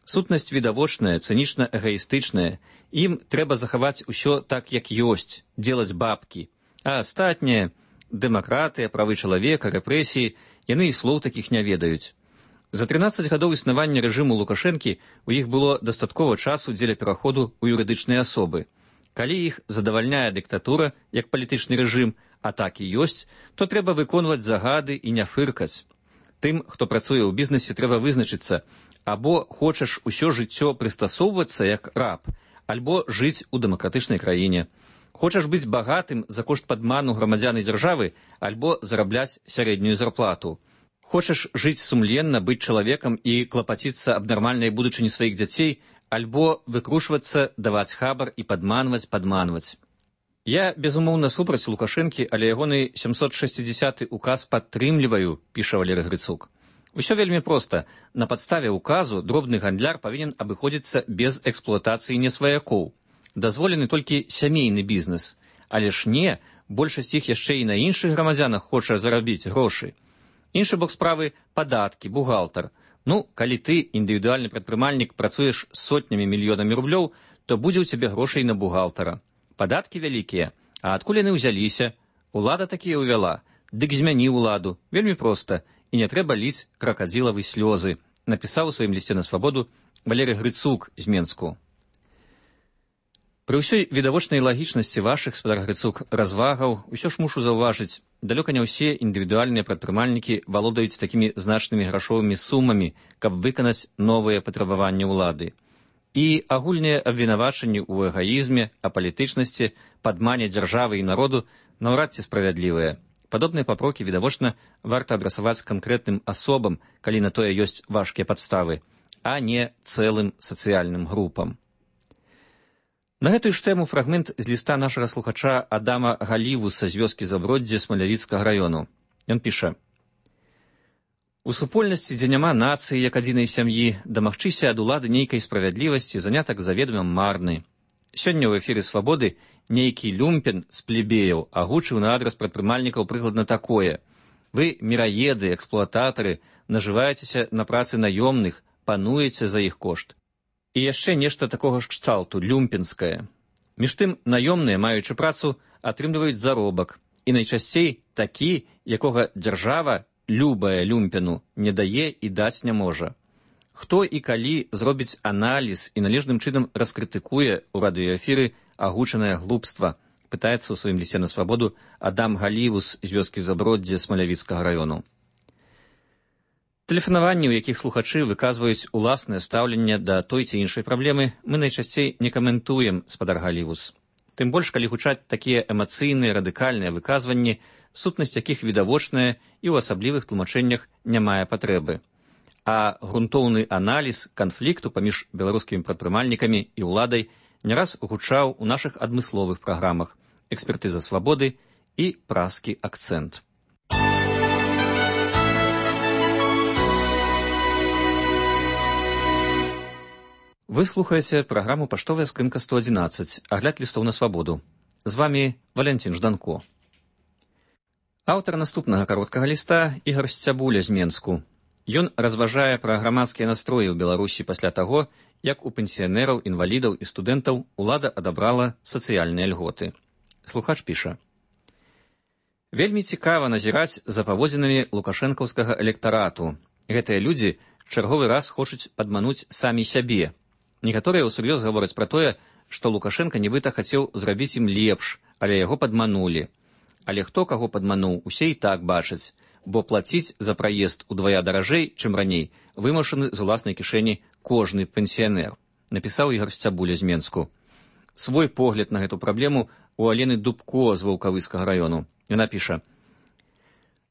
Сутнасць відавочная, цынічна-эгоістычная. Ім трэба захаваць усё так, як ёсць, делаць бабкі. А астатняе – дэмакратыя, правы чалавека, рэпрэсіі – яны і слоў такіх не ведаюць. За трынаццаць гадоў існавання рэжыму Лукашэнкі у іх было дастаткова часу дзеля пераходу ў юрыдычныя асобы. Калі іх задавальняе дыктатура, як палітычны рэжым, а так і ёсць, то трэба выконваць загады і не фыркаць. Тым, хто працуе ў бізнесе, трэба вызначыцца, або хочаш усё жыццё прыстасоўвацца як раб, альбо жыць у дэмакратычнай краіне. Хочаш быць багатым за кошт падману грамадзян і дзяржавы, альбо зарабляць сярэднюю зарплату. Хочаш жыць сумленна, быць чалавекам і клапаціцца аб нармальнай будучыні сваіх дзяцей, альбо выкрушвацца, даваць хабар і падманваць, падманваць. Я, безумоўна, супраць Лукашэнкі, але ягоны сямсот шэсцідзясяты указ падтрымліваю, піша Валерый Грыцук. Усё вельмі проста. На падставе указу дробны гандляр павінен абыходзіцца без эксплуатацыі несваякоў. Дазволены толькі сямейны бізнес. Але ж не, большасць іх яшчэ і на іншых грамадзянах хоча зарабіць грошы. Іншы бок справы – падаткі, бухгалтар. Ну, калі ты, індывідуальны прадпрымальнік, працуеш сотнямі мільёнамі рублёў, то будзе ў цябе грошай на бухгалтара. Падаткі вялікія. А адкуль яны ўзяліся? Улада такія ўвяла. Дык змяні ўладу. Вельмі проста. І не трэба ліць кракадзілавы слёзы. Напісаў у сваім лісце на свабоду Валерый Грыцук з Менску. Пры ўсёй відавочнай лагічнасці вашых, спадар Грыцук, развагаў, усё ж мушу заўважыць, далёка не ўсе індывідуальныя прадпрымальнікі валодаюць такімі значнымі грашовымі сумамі, каб выканаць новыя патрабаванні ўлады. І агульныя абвінавачанні ў эгаізме, апалітычнасці, падмане дзяржавы і народу наўрад ці справядлівыя. Падобныя папрокі, відавочна, варта адрасаваць канкрэтным асобам, калі на тое ёсць важкія падставы, а не цэлым сацыяльным групам. На гэтую ж тэму фрагмент з ліста нашага слухача Адама Галівуса з вёскі Заброддзе Смалявіцкага раёну. Ён піша: «У супольнасці, дзе няма нацыі як адзінай сям'і, дамагчыся ад улады нейкай справядлівасці занятак заведома марны. Сёння ў эфіры «Свабоды» нейкі люмпен з плебеяў агучыў на адрас прадпрымальнікаў прыкладна такое: вы, міраеды, эксплуататары, нажываецеся на працы наёмных, пануеце за іх кошт. І яшчэ нешта такога ж кшталту, люмпенскае. Між тым, наёмныя, маючы працу, атрымліваюць заробак. І найчасцей такі, якога дзяржава, любая люмпену, не дае і даць не можа. Хто і калі зробіць аналіз і належным чынам раскрытыкуе ў радыёэфіры агучанае глупства, пытаецца ў сваім лісце на свабоду Адам Галівус з вёскі Заброддзе Смалявіцкага раёну. Тэлефанаванні, у якіх слухачы выказваюць уласнае стаўленне да той ці іншай праблемы, мы найчасцей не каментуем, спадар Галівус. Тым больш, калі гучаць такія эмацыйныя, радыкальныя выказванні, сутнасць якіх відавочная і ў асаблівых тлумачэннях не мае патрэбы. А грунтоўны аналіз канфлікту паміж беларускімі прадпрымальнікамі і ўладай не раз гучаў у нашых адмысловых праграмах «Экспертыза свабоды» і «Празкі акцэнт». Вы слухаеце праграму «Паштовая скрынка сто адзінаццаць», агляд лістоў на свабоду. З вамі Валянцін Жданко. Аўтар наступнага кароткага ліста Ігар Сцябуля з Менску. Ён разважае пра грамадскія настроі ў Беларусі пасля таго, як у пенсіянераў, інвалідаў і студэнтаў улада адабрала сацыяльныя льготы. Слухач піша: «Вельмі цікава назіраць за паводзінамі лукашэнкаўскага электарату. Гэтыя людзі чарговы раз хочуць падмануць самі сябе. Некаторыя ўсур'ёз гавораць пра тое, што Лукашенка нібыта хацеў зрабіць ім лепш, але яго падманулі. Але хто каго падмануў, усе і так бачаць, бо плаціць за праезд удвая даражэй, чым раней, вымушаны з уласнай кішэні кожны пенсіянер. напісаў Ігор Сцябуля з Менску. Свой погляд на гэту праблему у Алены Дубко з Ваўкавыскага раёну. Яна піша: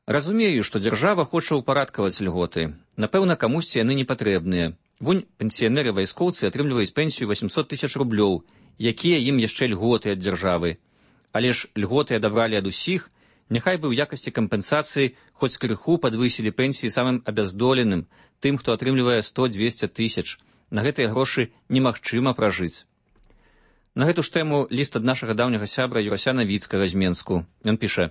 «Разумею, што дзяржава хоча ўпарадкаваць льготы. Напэўна, камусьці яны не патрэбныя. Вунь пенсіянеры-вайскоўцы атрымліваюць пенсію восемьсот тысяч рублёў, якія ім яшчэ льготы ад дзяржавы. Але ж льготы адабралі ад усіх, няхай бы ў якасці кампенсацыі хоць крыху падвысілі пенсіі самым абяздоленым, тым, хто атрымлівае сто-двесце тысяч. На гэтыя грошы немагчыма пражыць». На гэту ж тэму ліст ад нашага даўняга сябра Юрася Навіцкага з Менску. Ён піша: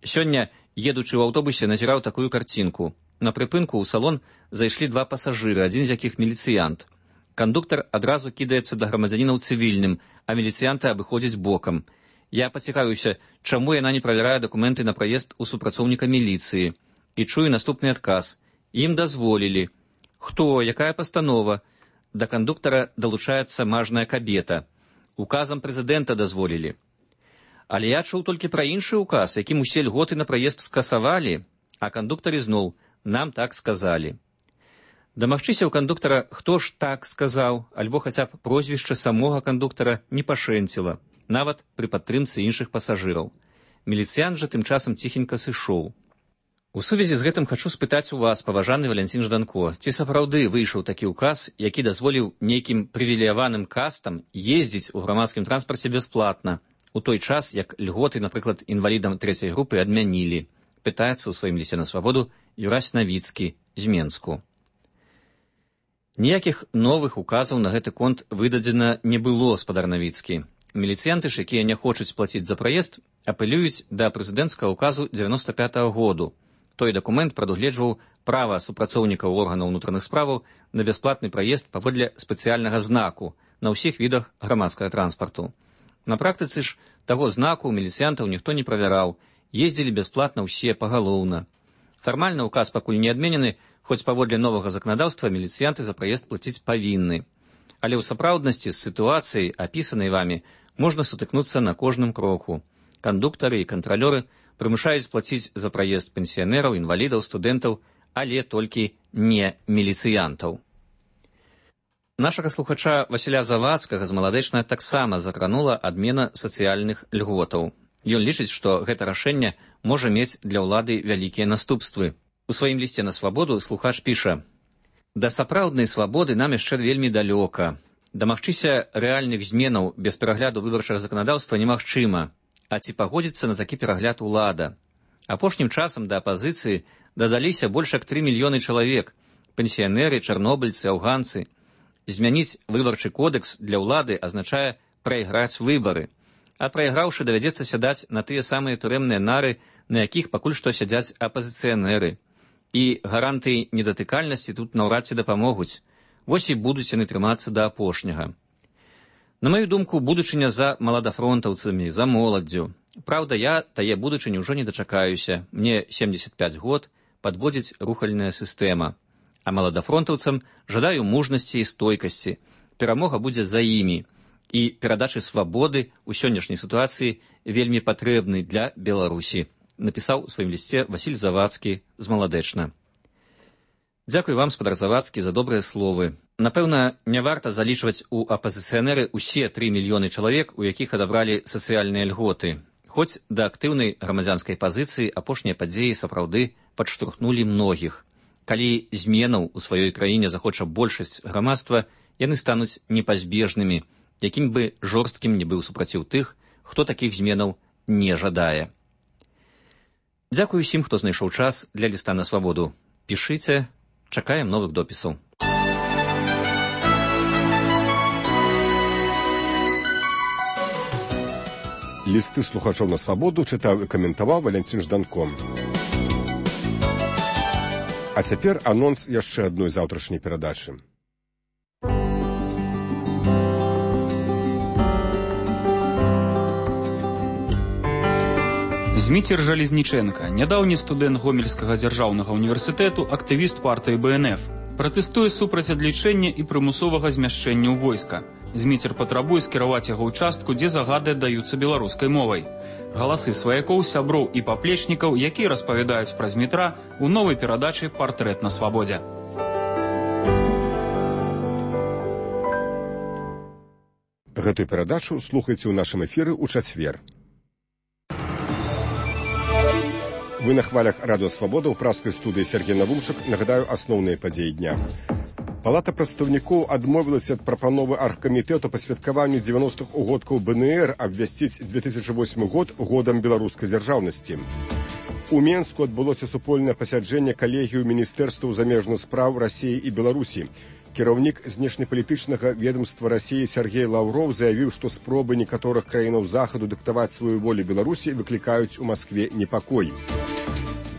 «Сёння, едучы ў аўтобусе, назіраў такую карцінку. На прыпынку ў салон зайшлі два пасажыры, адзін з якіх міліцыянт. Кандуктар адразу кідаецца да грамадзянінаў цывільным, а міліцыянты абыходзяць бокам. Я пацікавіўся, чаму яна не правярае дакументы на праезд у супрацоўніка міліцыі. І чую наступны адказ. Ім дазволілі. Хто, якая пастанова? Да кандуктара далучаецца мажная кабета. Указам прэзідэнта дазволілі. Але я чуў толькі пра іншы указ, якім усе льготы на праезд скасавалі, а кандуктар ізноў: нам так сказалі». Дамагчыся ў кандуктара, хто ж так сказаў, альбо хаця б прозвішча самога кандуктара не пашэнціла, нават пры падтрымцы іншых пасажыраў. Міліцыянт жа тым часам ціхенька сышоў. У сувязі з гэтым хачу спытаць у вас, паважаны Валянцін Жданко, ці сапраўды выйшаў такі ўказ, які дазволіў нейкім прывілеяваным кастам ездзіць у грамадскім транспарце бясплатна, у той час, як льготы, напрыклад, інвалідам трэцяй групы адмянілі, пытаецца ў сваім лісце на свабоду Юрась Навіцкі з Менску. Ніякіх новых указаў на гэты конт выдадзена не было, спадар Навіцкі. Міліцыянты ж, якія не хочуць плаціць за праезд, апелююць да прэзідэнцкага ўказу дзевяноста пятага году. Той дакумент прадугледжваў права супрацоўнікаў органаў унутраных справаў на бясплатны праезд паводле спецыяльнага знаку на ўсіх відах грамадскага транспарту. На практыцы ж таго знаку міліцыянтаў ніхто не правяраў, ездзілі бясплатна ўсе пагалоўна. Фармальна ўказ пакуль не адменены, хоць паводле новага заканадаўства міліцыянты за праезд плаціць павінны. Але ў сапраўднасці з сітуацыяй, апісанай вамі, можна сутыкнуцца на кожным кроку. Кандуктары і кантралёры прымушаюць плаціць за праезд пенсіянераў, інвалідаў, студэнтаў, але толькі не міліцыянтаў. Нашага слухача Васіля Завадскага з Маладэчна таксама закранула адмена сацыяльных льготаў. Ён лічыць, што гэта рашэнне можа мець для ўлады вялікія наступствы. У сваім лісце на свабоду слухач піша: «Да сапраўднай свабоды нам яшчэ вельмі далёка. Дамагчыся рэальных зменаў без перагляду выбарчага заканадаўства немагчыма. А ці пагодзіцца на такі перагляд улада? Апошнім часам да апазіцыі дадаліся больш як тры мільёны чалавек, пенсіянеры, чарнобыльцы, афганцы. Змяніць выбарчы кодекс для ўлады азначае прайграць выбары. А прайграўшы, давядзецца сядаць на тыя самыя турэмныя нары, на якіх пакуль што сядзяць апазіцыянеры. І гарантыі недатыкальнасці тут наўрад ці дапамогуць. Вось і будуць яны трымацца да апошняга. На маю думку, будучыня за маладафронтаўцамі, за моладдзю. Праўда, я тае будучыні ўжо не дачакаюся. Мне семьдесят пять год, падводзіць рухальная сістэма. А маладафронтаўцам жадаю мужнасці і стойкасці. Перамога будзе за імі. І перадачы свабоды ў сённяшняй сітуацыі вельмі патрэбны для Беларусі, напісаў у сваім лісце Васіль Завадскі з Маладэчна. Дзякуй вам, спадар Завадскі, за добрыя словы. Напэўна, не варта залічваць у апазіцыянеры ўсе тры мільёны чалавек, у якіх адабралі сацыяльныя льготы. Хоць да актыўнай грамадзянскай пазіцыі апошнія падзеі сапраўды падштурхнулі многіх. Калі зменаў у сваёй краіне захоча большасць грамадства, яны стануць непазбежнымі, якім бы жорсткім не быў супраціў тых, хто такіх зменаў не жадае. Дзякуй усім, хто знайшоў час для ліста на свабоду. Пішыце, чакаем новых допісаў. Лісты слухачоў на свабоду чытаў і каментаваў Валянцін Жданко. А цяпер анонс яшчэ адной заўтрашняй перадачы. Зміцер Жалезніченка, нядаўні студэнт Гомельскага дзяржаўнага універсітэту, актывіст партыі Бэ Эн Эф, пратэстуе супраць адлічэння і прымусовага змяшчэння ў войска. Зміцер патрабуе скіраваць яго ўчастку, дзе загады аддаюцца беларускай мовай. Галасы сваякоў, сяброў і паплечнікаў, якія распавядаюць пра Змітра у новай перадачы «Партрэт на свабодзе». Гэтую перадачу слухайце ў нашым эфіры ў чацвер. Вы на хвалях Радыё Свабода ў праскай студыі Сергей Навумчык. Нагадаю асноўныя падзеі дня. Палата прадстаўнікоў адмовілася ад прапановы аргкамітэту па святкаванню дзевяностых угодкаў БНР абвясціць две тысячы восьмы год годам беларускай дзяржаўнасці. У Менску адбылося супольнае пасяджэнне калегію міністэрстваў замежных спраў Расіі і Беларусі. Кіраўнік знешнепалітычнага ведомства Расіі Сергей Лаўроў заявіў, што спробы некаторых краінаў захаду дыктаваць сваю волю Беларусі выклікаюць у Маскве непакой.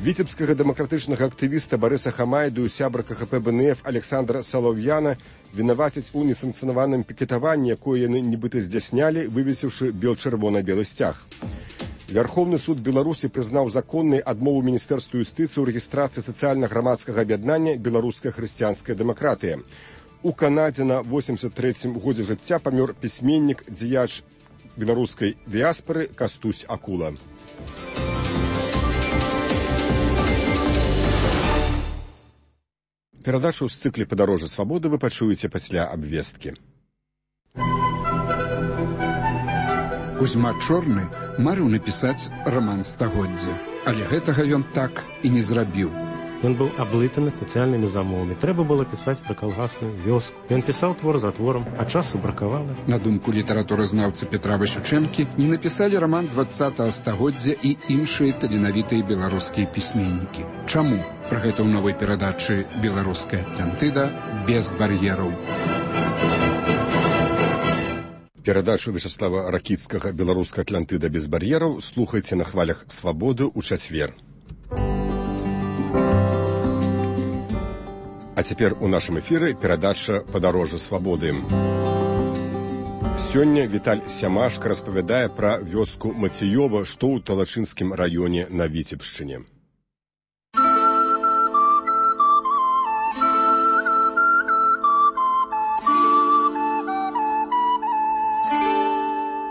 Віцебскага дэмакратычнага актывіста Барыса Хамайду і сябра КХП БНФ Александра Салаўяна вінавацяць у несанкцыянаваным пікетаванні, якое яны нібыта здзяйснялі, вывесіўшы бел-чырвона-белы сцяг. Вярхоўны суд Беларусі прызнаў законнай адмову Міністэрству юстыцыі ў рэгістрацыі сацыяльна-грамадскага аб'яднання «Беларуская хрысціянская дэмакратыя». У Канадзе на восемьдесят трэцім годзе жыцця памёр пісьменнік, дзеяч беларускай дыяспары Кастусь Акула. Перадачу з цыкле «Падарожжа свабоды» вы пачуеце пасля абвесткі. Кузьма Чорны марыў напісаць раман стагоддзя, але гэтага ён так і не зрабіў. Ён быў аблытаны сацыяльнымі замовамі. Трэба было пісаць пра калгасную вёску. Ён пісаў твор за творам, а часу бракавала. На думку літаратуразнаўцы Петра Васючэнкі, не напісалі раман двадцатага стагоддзя і іншыя таленавітыя беларускія пісьменнікі. Чаму? Пра гэта ў новай перадачы «Беларуская Атлантыда» без бар'ераў. Перадачу Вячеслава Ракіцкага «Беларуская Атлантыда без бар'ераў» слухайце на хвалях свабоды ў чацвер. А цяпер у нашым эфіры перадача «Падарожжа свабоды». Сёння Віталь Сямашка распавядае пра вёску Мацеёва, што ў Талачынскім раёне на Віцебшчыне.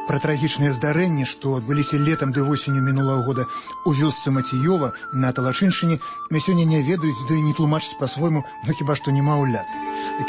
Пра трагічныя здарэнні, што адбыліся летам ды восенню мінулага года у вёсцы Мацеёва на Талачыншчыне, мы сёння не ведаюць, ды не тлумачыць па-свойму, ну хіба што немаўлят.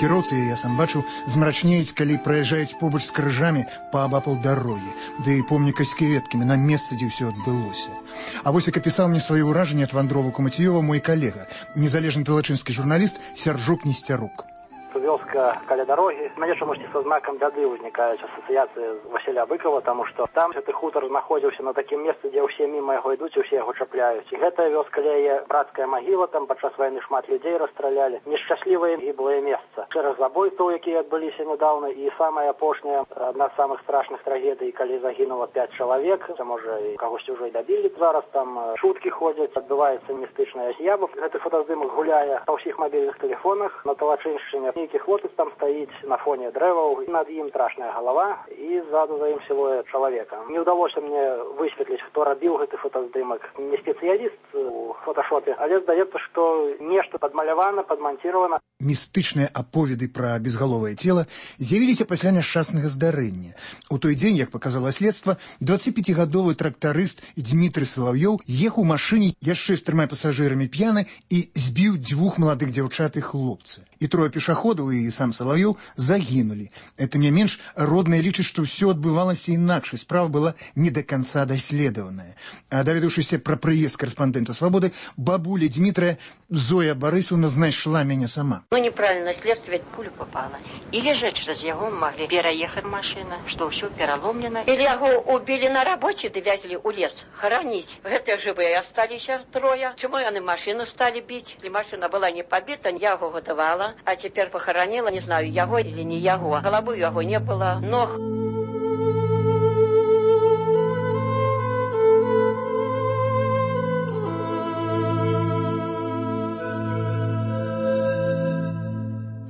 Кіроўцы, я сам бачу, змрачнеюць, калі праязджаюць побач з крыжамі паабапал дарогі, ды помніка з кветкамі на месцы, дзе ўсё адбылося. А вось як апісаў мне свае ўражанні ад вандровак у Мацеёва мой калега, незалежны талачынскі журналіст Сяржук Несцярук. Вёска каля дарогі. Мяне чамусьці са знакам бяды ўзнікаюць асацыяцыі з Васіля Быкова, таму што там гэты хутар знаходзіўся на такім месцы, дзе ўсе міма яго ідуць, усе яго чапляюць. І гэтая вёска ля яе братская магіла, там падчас вайны шмат людзей расстралялі. Нешчаслівае гіблае месца. Шэраг забойстваў, якія адбыліся нядаўна, і самая апошняя, адна з самых страшных трагедый, калі загінула пяць чалавек, а можа і кагосьці ўжо і дабілі. Зараз там шуткі ходзяць, адбываецца містычная з'ява. Гэты фотаздымак гуляе па ўсіх мабільных тэлефонах на Талачыншчыне. Нейкі хлопец там стаіць на фоне дрэваў, над ім страшная галава і ззаду за ім сілуэт чалавека. Не ўдалося мне высветліць, хто рабіў гэты фотаздымак. Не спецыяліст у фоташопе, але здаецца, што нешта падмалявана, падманціравана. Містычныя аповеды пра безгаловае цела з'явіліся пасля няшчаснага здарэння. У той дзень, як паказала следства, дваццаціпяцігадовы трактарыст Дмітрый Салаўёў ехаў у машыне яшчэ з трыма пасажырамі п'яны і збіў дзвюх маладых дзяўчат і хлопца. І трое пешаходаў і сам Салаўёў загінулі. Это не менш, родныя лічаць, што ўсё адбывалася інакш, і справа была не да канца даследаваная. А даведаўшыся пра прыезд карэспандэнта «Свабоды», бабуля Дмітрая Зоя Барысаўна знайшла мяне сама. Ну, неправильно, следствие пулю попало. Или же через его могли переехать машина, что все переломлено. Или его убили на работе, довезли у лес хоронить. Это живые остались трое. Чему они машину стали бить? Если машина была не побита, я его готовала. А теперь похоронила, не знаю, его или не его. Головы его не было, ног.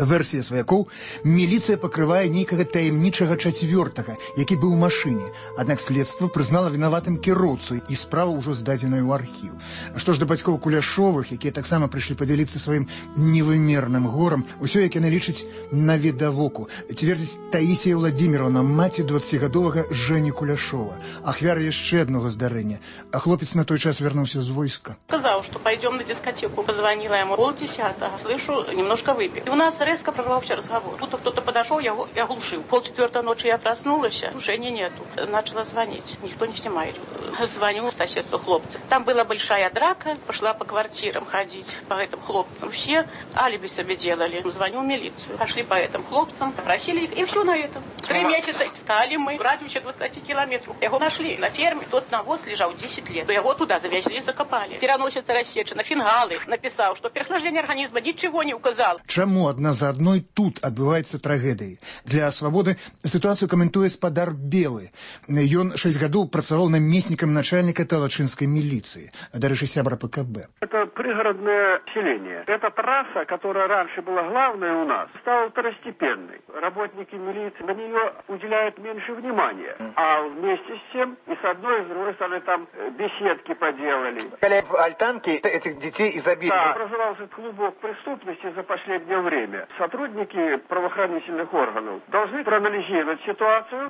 Версія сваякоў, міліцыя пакрывае нейкага таямнічага чацвёртага, які быў у машыне. Аднак следства прызнала вінаватым кіроўцу, і справа ўжо здадзеная ў архіў. А што ж да бацькоў Куляшовых, якія таксама прыйшлі падзяліцца сваім невымерным горам, усё, як яны лічаць, навідавоку. Цвердзіць Таісія Владзіміровна, маці дваццацігадовага Жэні Куляшова, ахвяра яшчэ аднаго здарэння. А хлопец на той час вярнуўся з войска. Сказал, что пойдем на дискотеку. Позвонила ему полдесятого. Слышу, немножко выпил. И у нас резко резко прорвался разговор. Будто кто-то подошел, я, я глушил. Полчетвертой ночи я проснулась, Жени нету. Начала звонить. Никто не снимает. Звоню в соседство хлопцев. Там была большая драка. Пошла по квартирам ходить, по этим хлопцам. Все алиби себе делали. Звоню в милицию. Пошли по этим хлопцам, попросили их, и все на этом. Три месяца искали мы в радиусе двадцати километров. Его нашли на ферме. Тот навоз лежал десять лет. Его туда завезли и закопали. Переносится рассечена, фингалы. Написал, что переохлаждение организма ничего не указал. Чаму адна за адной тут адбываецца трагедыі? Для свабоды сітуацыю каментуе спадар Белы. Ён шэсць гадоў працаваў намеснікам начальника талачынскай милиции. Дарэчы, сябра ПКБ. Это пригородное селение. Эта трасса, которая раньше была главной у нас, стала второстепенной. Работники милиции на нее уделяют меньше внимания. А вместе с тем и с одной, и с другой стороны там беседки поделали. Альтанки этих детей изобилия. Да, образовался клубок преступности за последнее время. Сотрудники правоохранительных органов должны проанализировать ситуацию.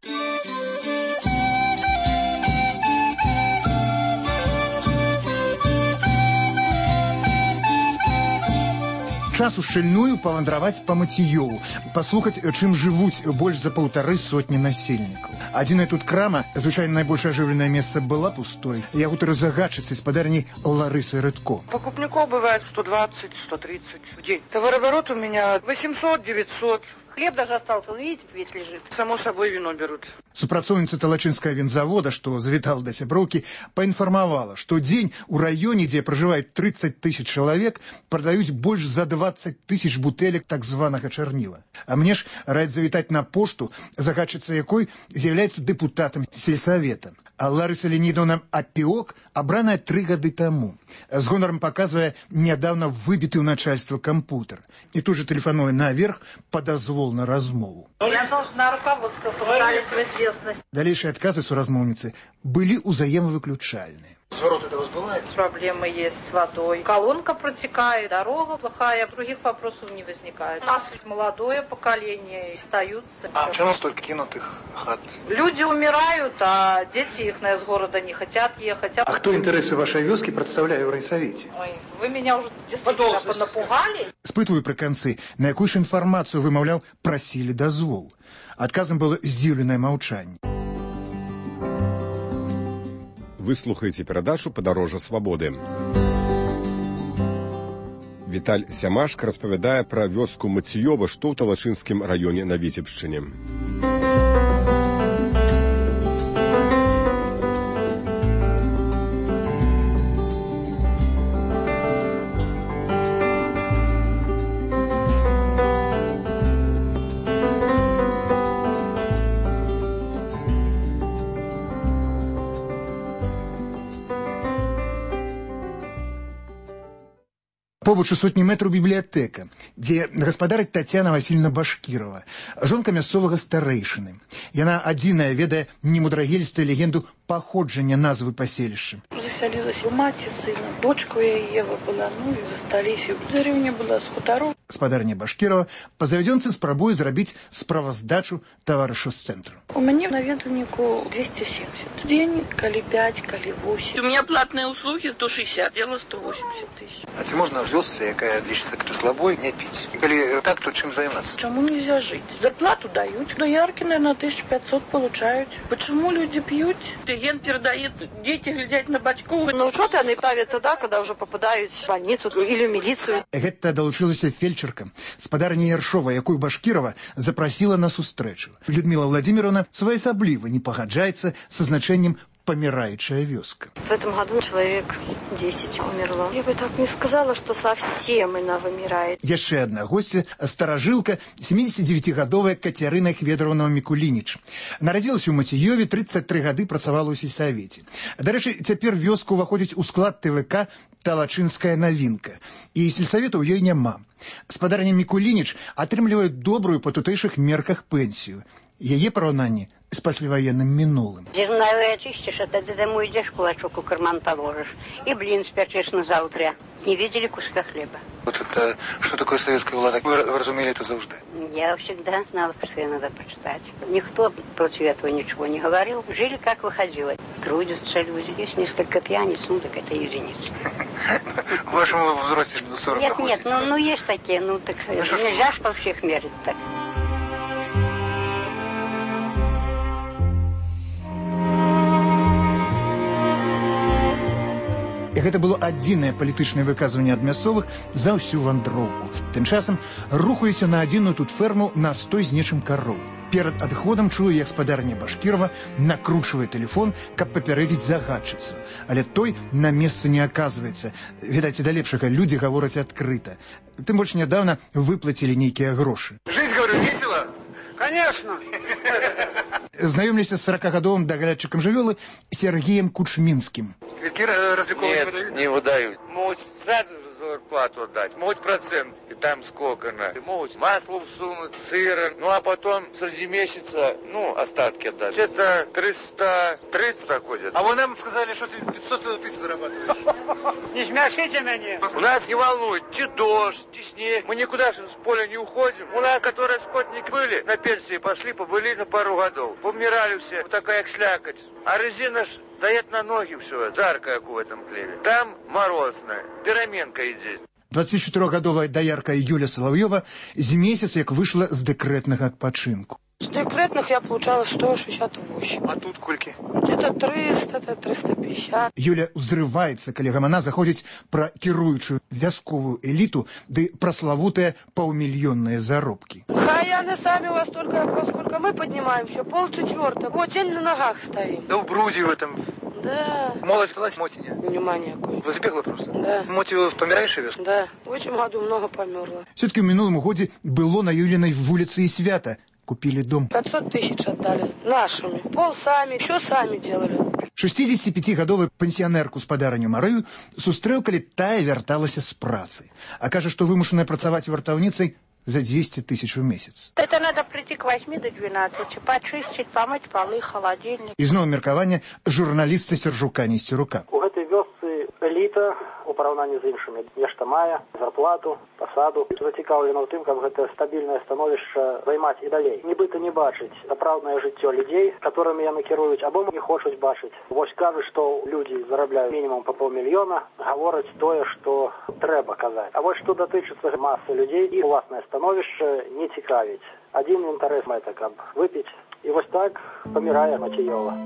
Час ушчыльную павандраваць па Мацеёву, паслухаць, чым жывуць больш за паўтары сотні насельнікаў. Адзіная тут крама, звычайна найбольш ажыўленае месца, была пустой. Я гутары загадчыцы спадарней Ларысы Рыдко. Покупников бывает сто двадцать - сто тридцать в день. Товарооборот у меня восемьсот - девятьсот. Хлеб даже остался, он, видите, весь лежит. Само собой вино берут. Супрацоўніца талачынскага вінзавода, што завітала да сяброўкі, паінфармавала, што дзень у раёне, дзе пражывае тридцать тысяч чалавек, прадаюць больш за двадцать тысяч бутэлек так званага чарніла. А мне ж раяць завітаць на пошту, загадчыца якой з'яўляецца дэпутатам сельсавета. А Ларыса Леонидовна Апіок абраная тры гады таму. З гонарам паказвае нядаўна выбіты ў начальства кампутер. І тут же тэлефануе наверх па дазвол на размову. Я должна руководство поставить в известность. Далейшие адказы суразмоўніцы былі ўзаемавыключальныя. Сворот это у вас бывает? Проблемы есть с водой. Колонка протекает, дорога плохая, других вопросов не возникает. У нас молодое поколение, остаются. А почему столько кинутых хат? Люди умирают, а дети их из города не хотят ехать. А кто интересы вашей вёски представляет в райсовете? Ой, вы меня уже действительно понапугали. Спытываю пры канцы, на якую ж інфармацыю, вымаўляў, прасілі дазвол. Адказам было здзіўленае маўчанне. Вы слухаеце перадачу «Падарожжа свабоды». Віталь Сямашка распавядае пра вёску Мацеёва, што ў Талачынскім раёне на Віцебшчыне. Побач у сотні метраў бібліятэка, дзе гаспадарыць Тацяна Васильевна Башкірова, жонка мясцовага старэйшыны. Яна адзіная ведае немудрагелістую легенду паходжання назвы паселішча. Заселилась у маці сына, дочка у Ева была, ну і засталіся. Деревня была з хутаром. Спадарня Башкірова па завядзёнцы спрабуе зрабіць справаздачу таварышу з цэнтру. У мяне наведвальніку двести семьдесят. День, калі пять, калі восемь. У меня платные услуги сто шестьдесят, дело сто восемьдесят тысяч. А ці можна вёсцы, якая лічыцца кто слабой, не піць? І калі так, то чым займацца? Чему нельзя жить? Зарплату дают. Доярки, наверное, тысяча пятьсот получают. Почему люди пьют? Клиент передает, дети глядят на бачку. На учет они ставят тогда, когда уже попадают в больницу или в милицию. Гэта далучылася фельчерка, спадарня Яршова, якую Башкірова запрасіла на сустрэчу. Людмила Владимировна своеасабліва не пагаджаецца са значэннем «помирающая вёска». В этом году человек десять умерло. Я бы так не сказала, что совсем она вымирает. Яшчэ одна гостья, старажылка, семидесятидевятигадовая Катерина Хведоровна Микулинич. Нарадзілася ў Мацеёве, тридцать три гады працавала ў сельсавеце. Дарэчы, цяпер вёска ўваходзіць у склад ТВК «Талачынская навінка». І сельсавета ў ёй няма. Спадарня Микулинич атрымлівае добрую па тутэйшых мерках пенсію. Яе параўнанне з пасляваенным мінулым. Зерновые очистишь, а тогда домой идешь, кулачок у карман положишь. И блин спячешь на завтра. Не видели куска хлеба. Вот это, что такое советская влада? Вы разумели это завжди? Я всегда знала, что это надо почитать. Никто против этого ничего не говорил. Жили, как выходило. трудятся люди. Есть несколько пьяниц, ну так это единицы. В вашем возрасте сорок Нет, нет, ну, ну есть такие, ну так ну, нельзя ж по всех мерить так. Гэта было адзінае палітычнае выказванне ад мясцовых за ўсю вандроўку. Тым часам рухаюся на адзіную тут ферму на стой з нечым кароў. Перад адыходам чую, як спадарня Башкірова накручвае тэлефон, каб папярэдзіць загадчыцу. Але той на месцы не аказваецца. Відаць, і да лепшага людзі гавораць адкрыта. Тым больш нядаўна выплацілі нейкія грошы. Жыць, говорю, весело? Конечно. Знаёмлюся з сорокагадовым даглядчыкам жывёлы Сергеем Кучмінскім. Квитки развлековые Нет, выдают? не выдают. Могут сразу же зарплату отдать, могут процент, и там сколько на. Могут масло всунуть, сыра, ну а потом среди месяца, ну, остатки отдать. Это триста тридцать доходит. А вы нам сказали, что ты пятьсот тысяч зарабатываешь. Не смешите меня. У нас не волнует, чи дождь, чи снег. Мы никуда же с поля не уходим. У нас, которые скотники были, на пенсии пошли, побыли на пару годов. Помирали все, вот такая слякоть. А резина ж дает на ноги все, жарко, как в этом хлебе. Там морозно, переменка идет. дваццацічатырохгадовая даярка Юля Соловьева з месяц як выйшла з дэкрэтнага адпачынку. С декретных я получала сто шестьдесят восемь. А тут кольки? Где-то триста, это триста пятьдесят. Юля ўзрываецца, калі гамана заходзіць пра кіруючую вясковую эліту ды праславутыя паўмільённыя заробкі. А яны сами у вас только, во сколько мы поднимаемся, полчетвертого. Вот день на ногах стоим. Да в бруде в этом. Да. Молодь велась, моти нет? Внимание какое. Вы забегла просто? Да. Моти помираешь вес? Да. В этом году много померло. Все-таки в минулом годзе было на Юлиной вулице и свято. Купили дом. пятьсот тысяч отдали нашими. Пол сами, все сами делали. шестидесятипятигадовую пенсионерку спадарню Марыю сустрэў, калі тая вярталася з працы. А кажа, што вымушаная працаваць вартаўніцай за двести тысяч в месяц. Это надо прийти к восьми до двенадцати, почистить, помыть полы, холодильник. І зноў меркаванне журналіста Сержука Несцерука. У гэтай вёсцы эліта у параўнанні з іншымі нешта мае, зарплату, пасаду. Зацікаўлена ў тым, каб гэта стабільнае становішча займаць і далей. Нібыта не бачыць сапраўднае жыццё людзей, которымі яны кіруюць, або не хочуць бачыць. Вось кажуць, што людзі зарабляюць мінімум па паўмільёна, гавораць тое, што трэба казаць. А вось што датычыцца масы людзей, і уласнае становішча не цікавіць. Адзін інтарэс мэта, каб выпіць. І вось так памірае Мацеёва.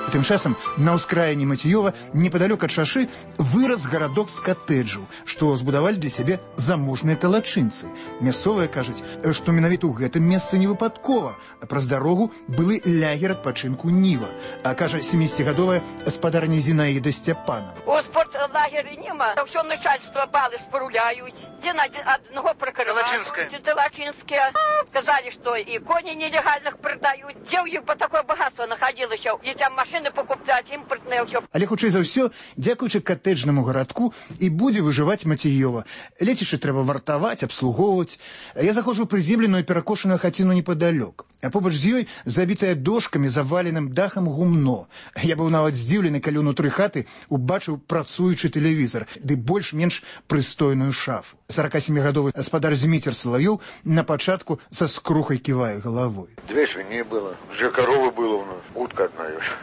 Тым часам на ўскраіне Мацеёва, непадалёк ад шашы, вырас гарадок з катэджаў, што збудавалі для сябе заможныя талачынцы. Мясцовыя кажуць, што менавіта ў гэтым месцы не выпадкова, а праз дарогу былы лягер адпачынку Ніва. А кажа сямідзесятигадовая спадарня Зінаіда Сцяпанова. У спортлагері нема, ўсё начальство балы спаруляюць. Дзе на аднаго пракарываюць. Талачынская. Талачынскія. Сказалі, што і коні нелегальных прадаюць. Дзе ў іх бы такое багатство находилася? Дзецям машины покупляць, імпартнае ўсё. Але хутчэй за ўсё, дзякуючы катэджнаму гарадку і будзе выжываць Мацеёва. Лецішча трэба вартаваць, абслугоўваць. Я заходжу ў прыземленую перакошаную хаціну непадалёк. А побач з ёй забітая дошкамі, заваленым дахам гумно. Я быў нават здзіўлены, калі ўнутры хаты убачыў працуючы тэлевізар, ды больш-менш прыстойную шафу. сорокасемігадовы гаспадар Зміцер Салавёў на пачатку са скрухай ківае галавой. Две свиньи было, две коровы было у нас, утка одна ешь.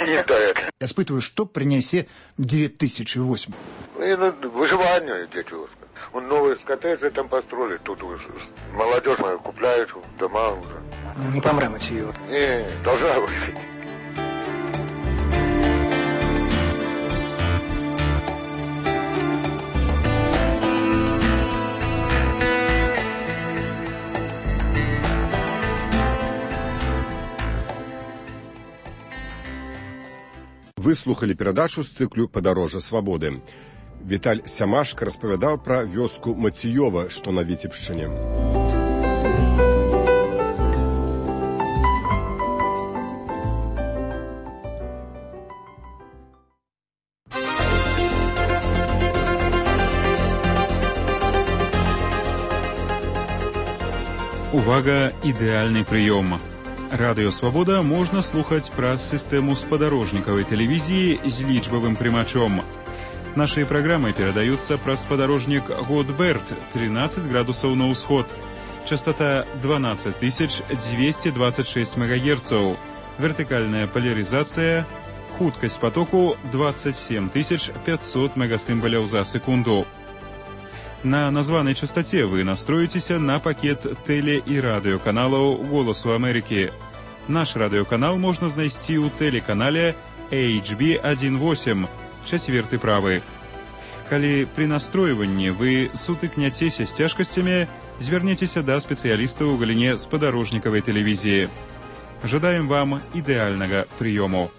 Не дает. Я спытываю, што прынясе две тысячи восемь. Ну, выживание, дети. Он новые коттеджи там построили, тут молодежь моя купляет дома уже. Не помрем эти ее. Не, должна выжить. Вы слухали перадачу з цыклю «Падарожжа свабоды». Віталь Сямашка распавядаў пра вёску Мацеёва, што на Віцебшчыне. Увага, ідэальны прыём. Радыё «Свабода» можна слухаць праз сістэму спадарожнікавай тэлевізіі з лічбавым прымачом. Наши программы передаются праз спадарожник Годберт, тринадцать градусов на усход. Частота двенадцать тысяч двести двадцать шесть мегагерцов. Вертикальная поляризация. Хуткость потоку двадцать семь тысяч пятьсот мегасимволов за секунду. На названной частоте вы настроитесь на пакет теле- и радиоканалов «Голосу Америки». Наш радиоканал можно знайсці ў тэлеканале эйч би один восемь, чацверты правы. Калі при настройванні вы сутыкняцеся з цяжкасцямі, звярнецеся да спецыяліста ў галіне спадарожнікавай тэлевізіі. Жадаем вам ідэальнага прыёму.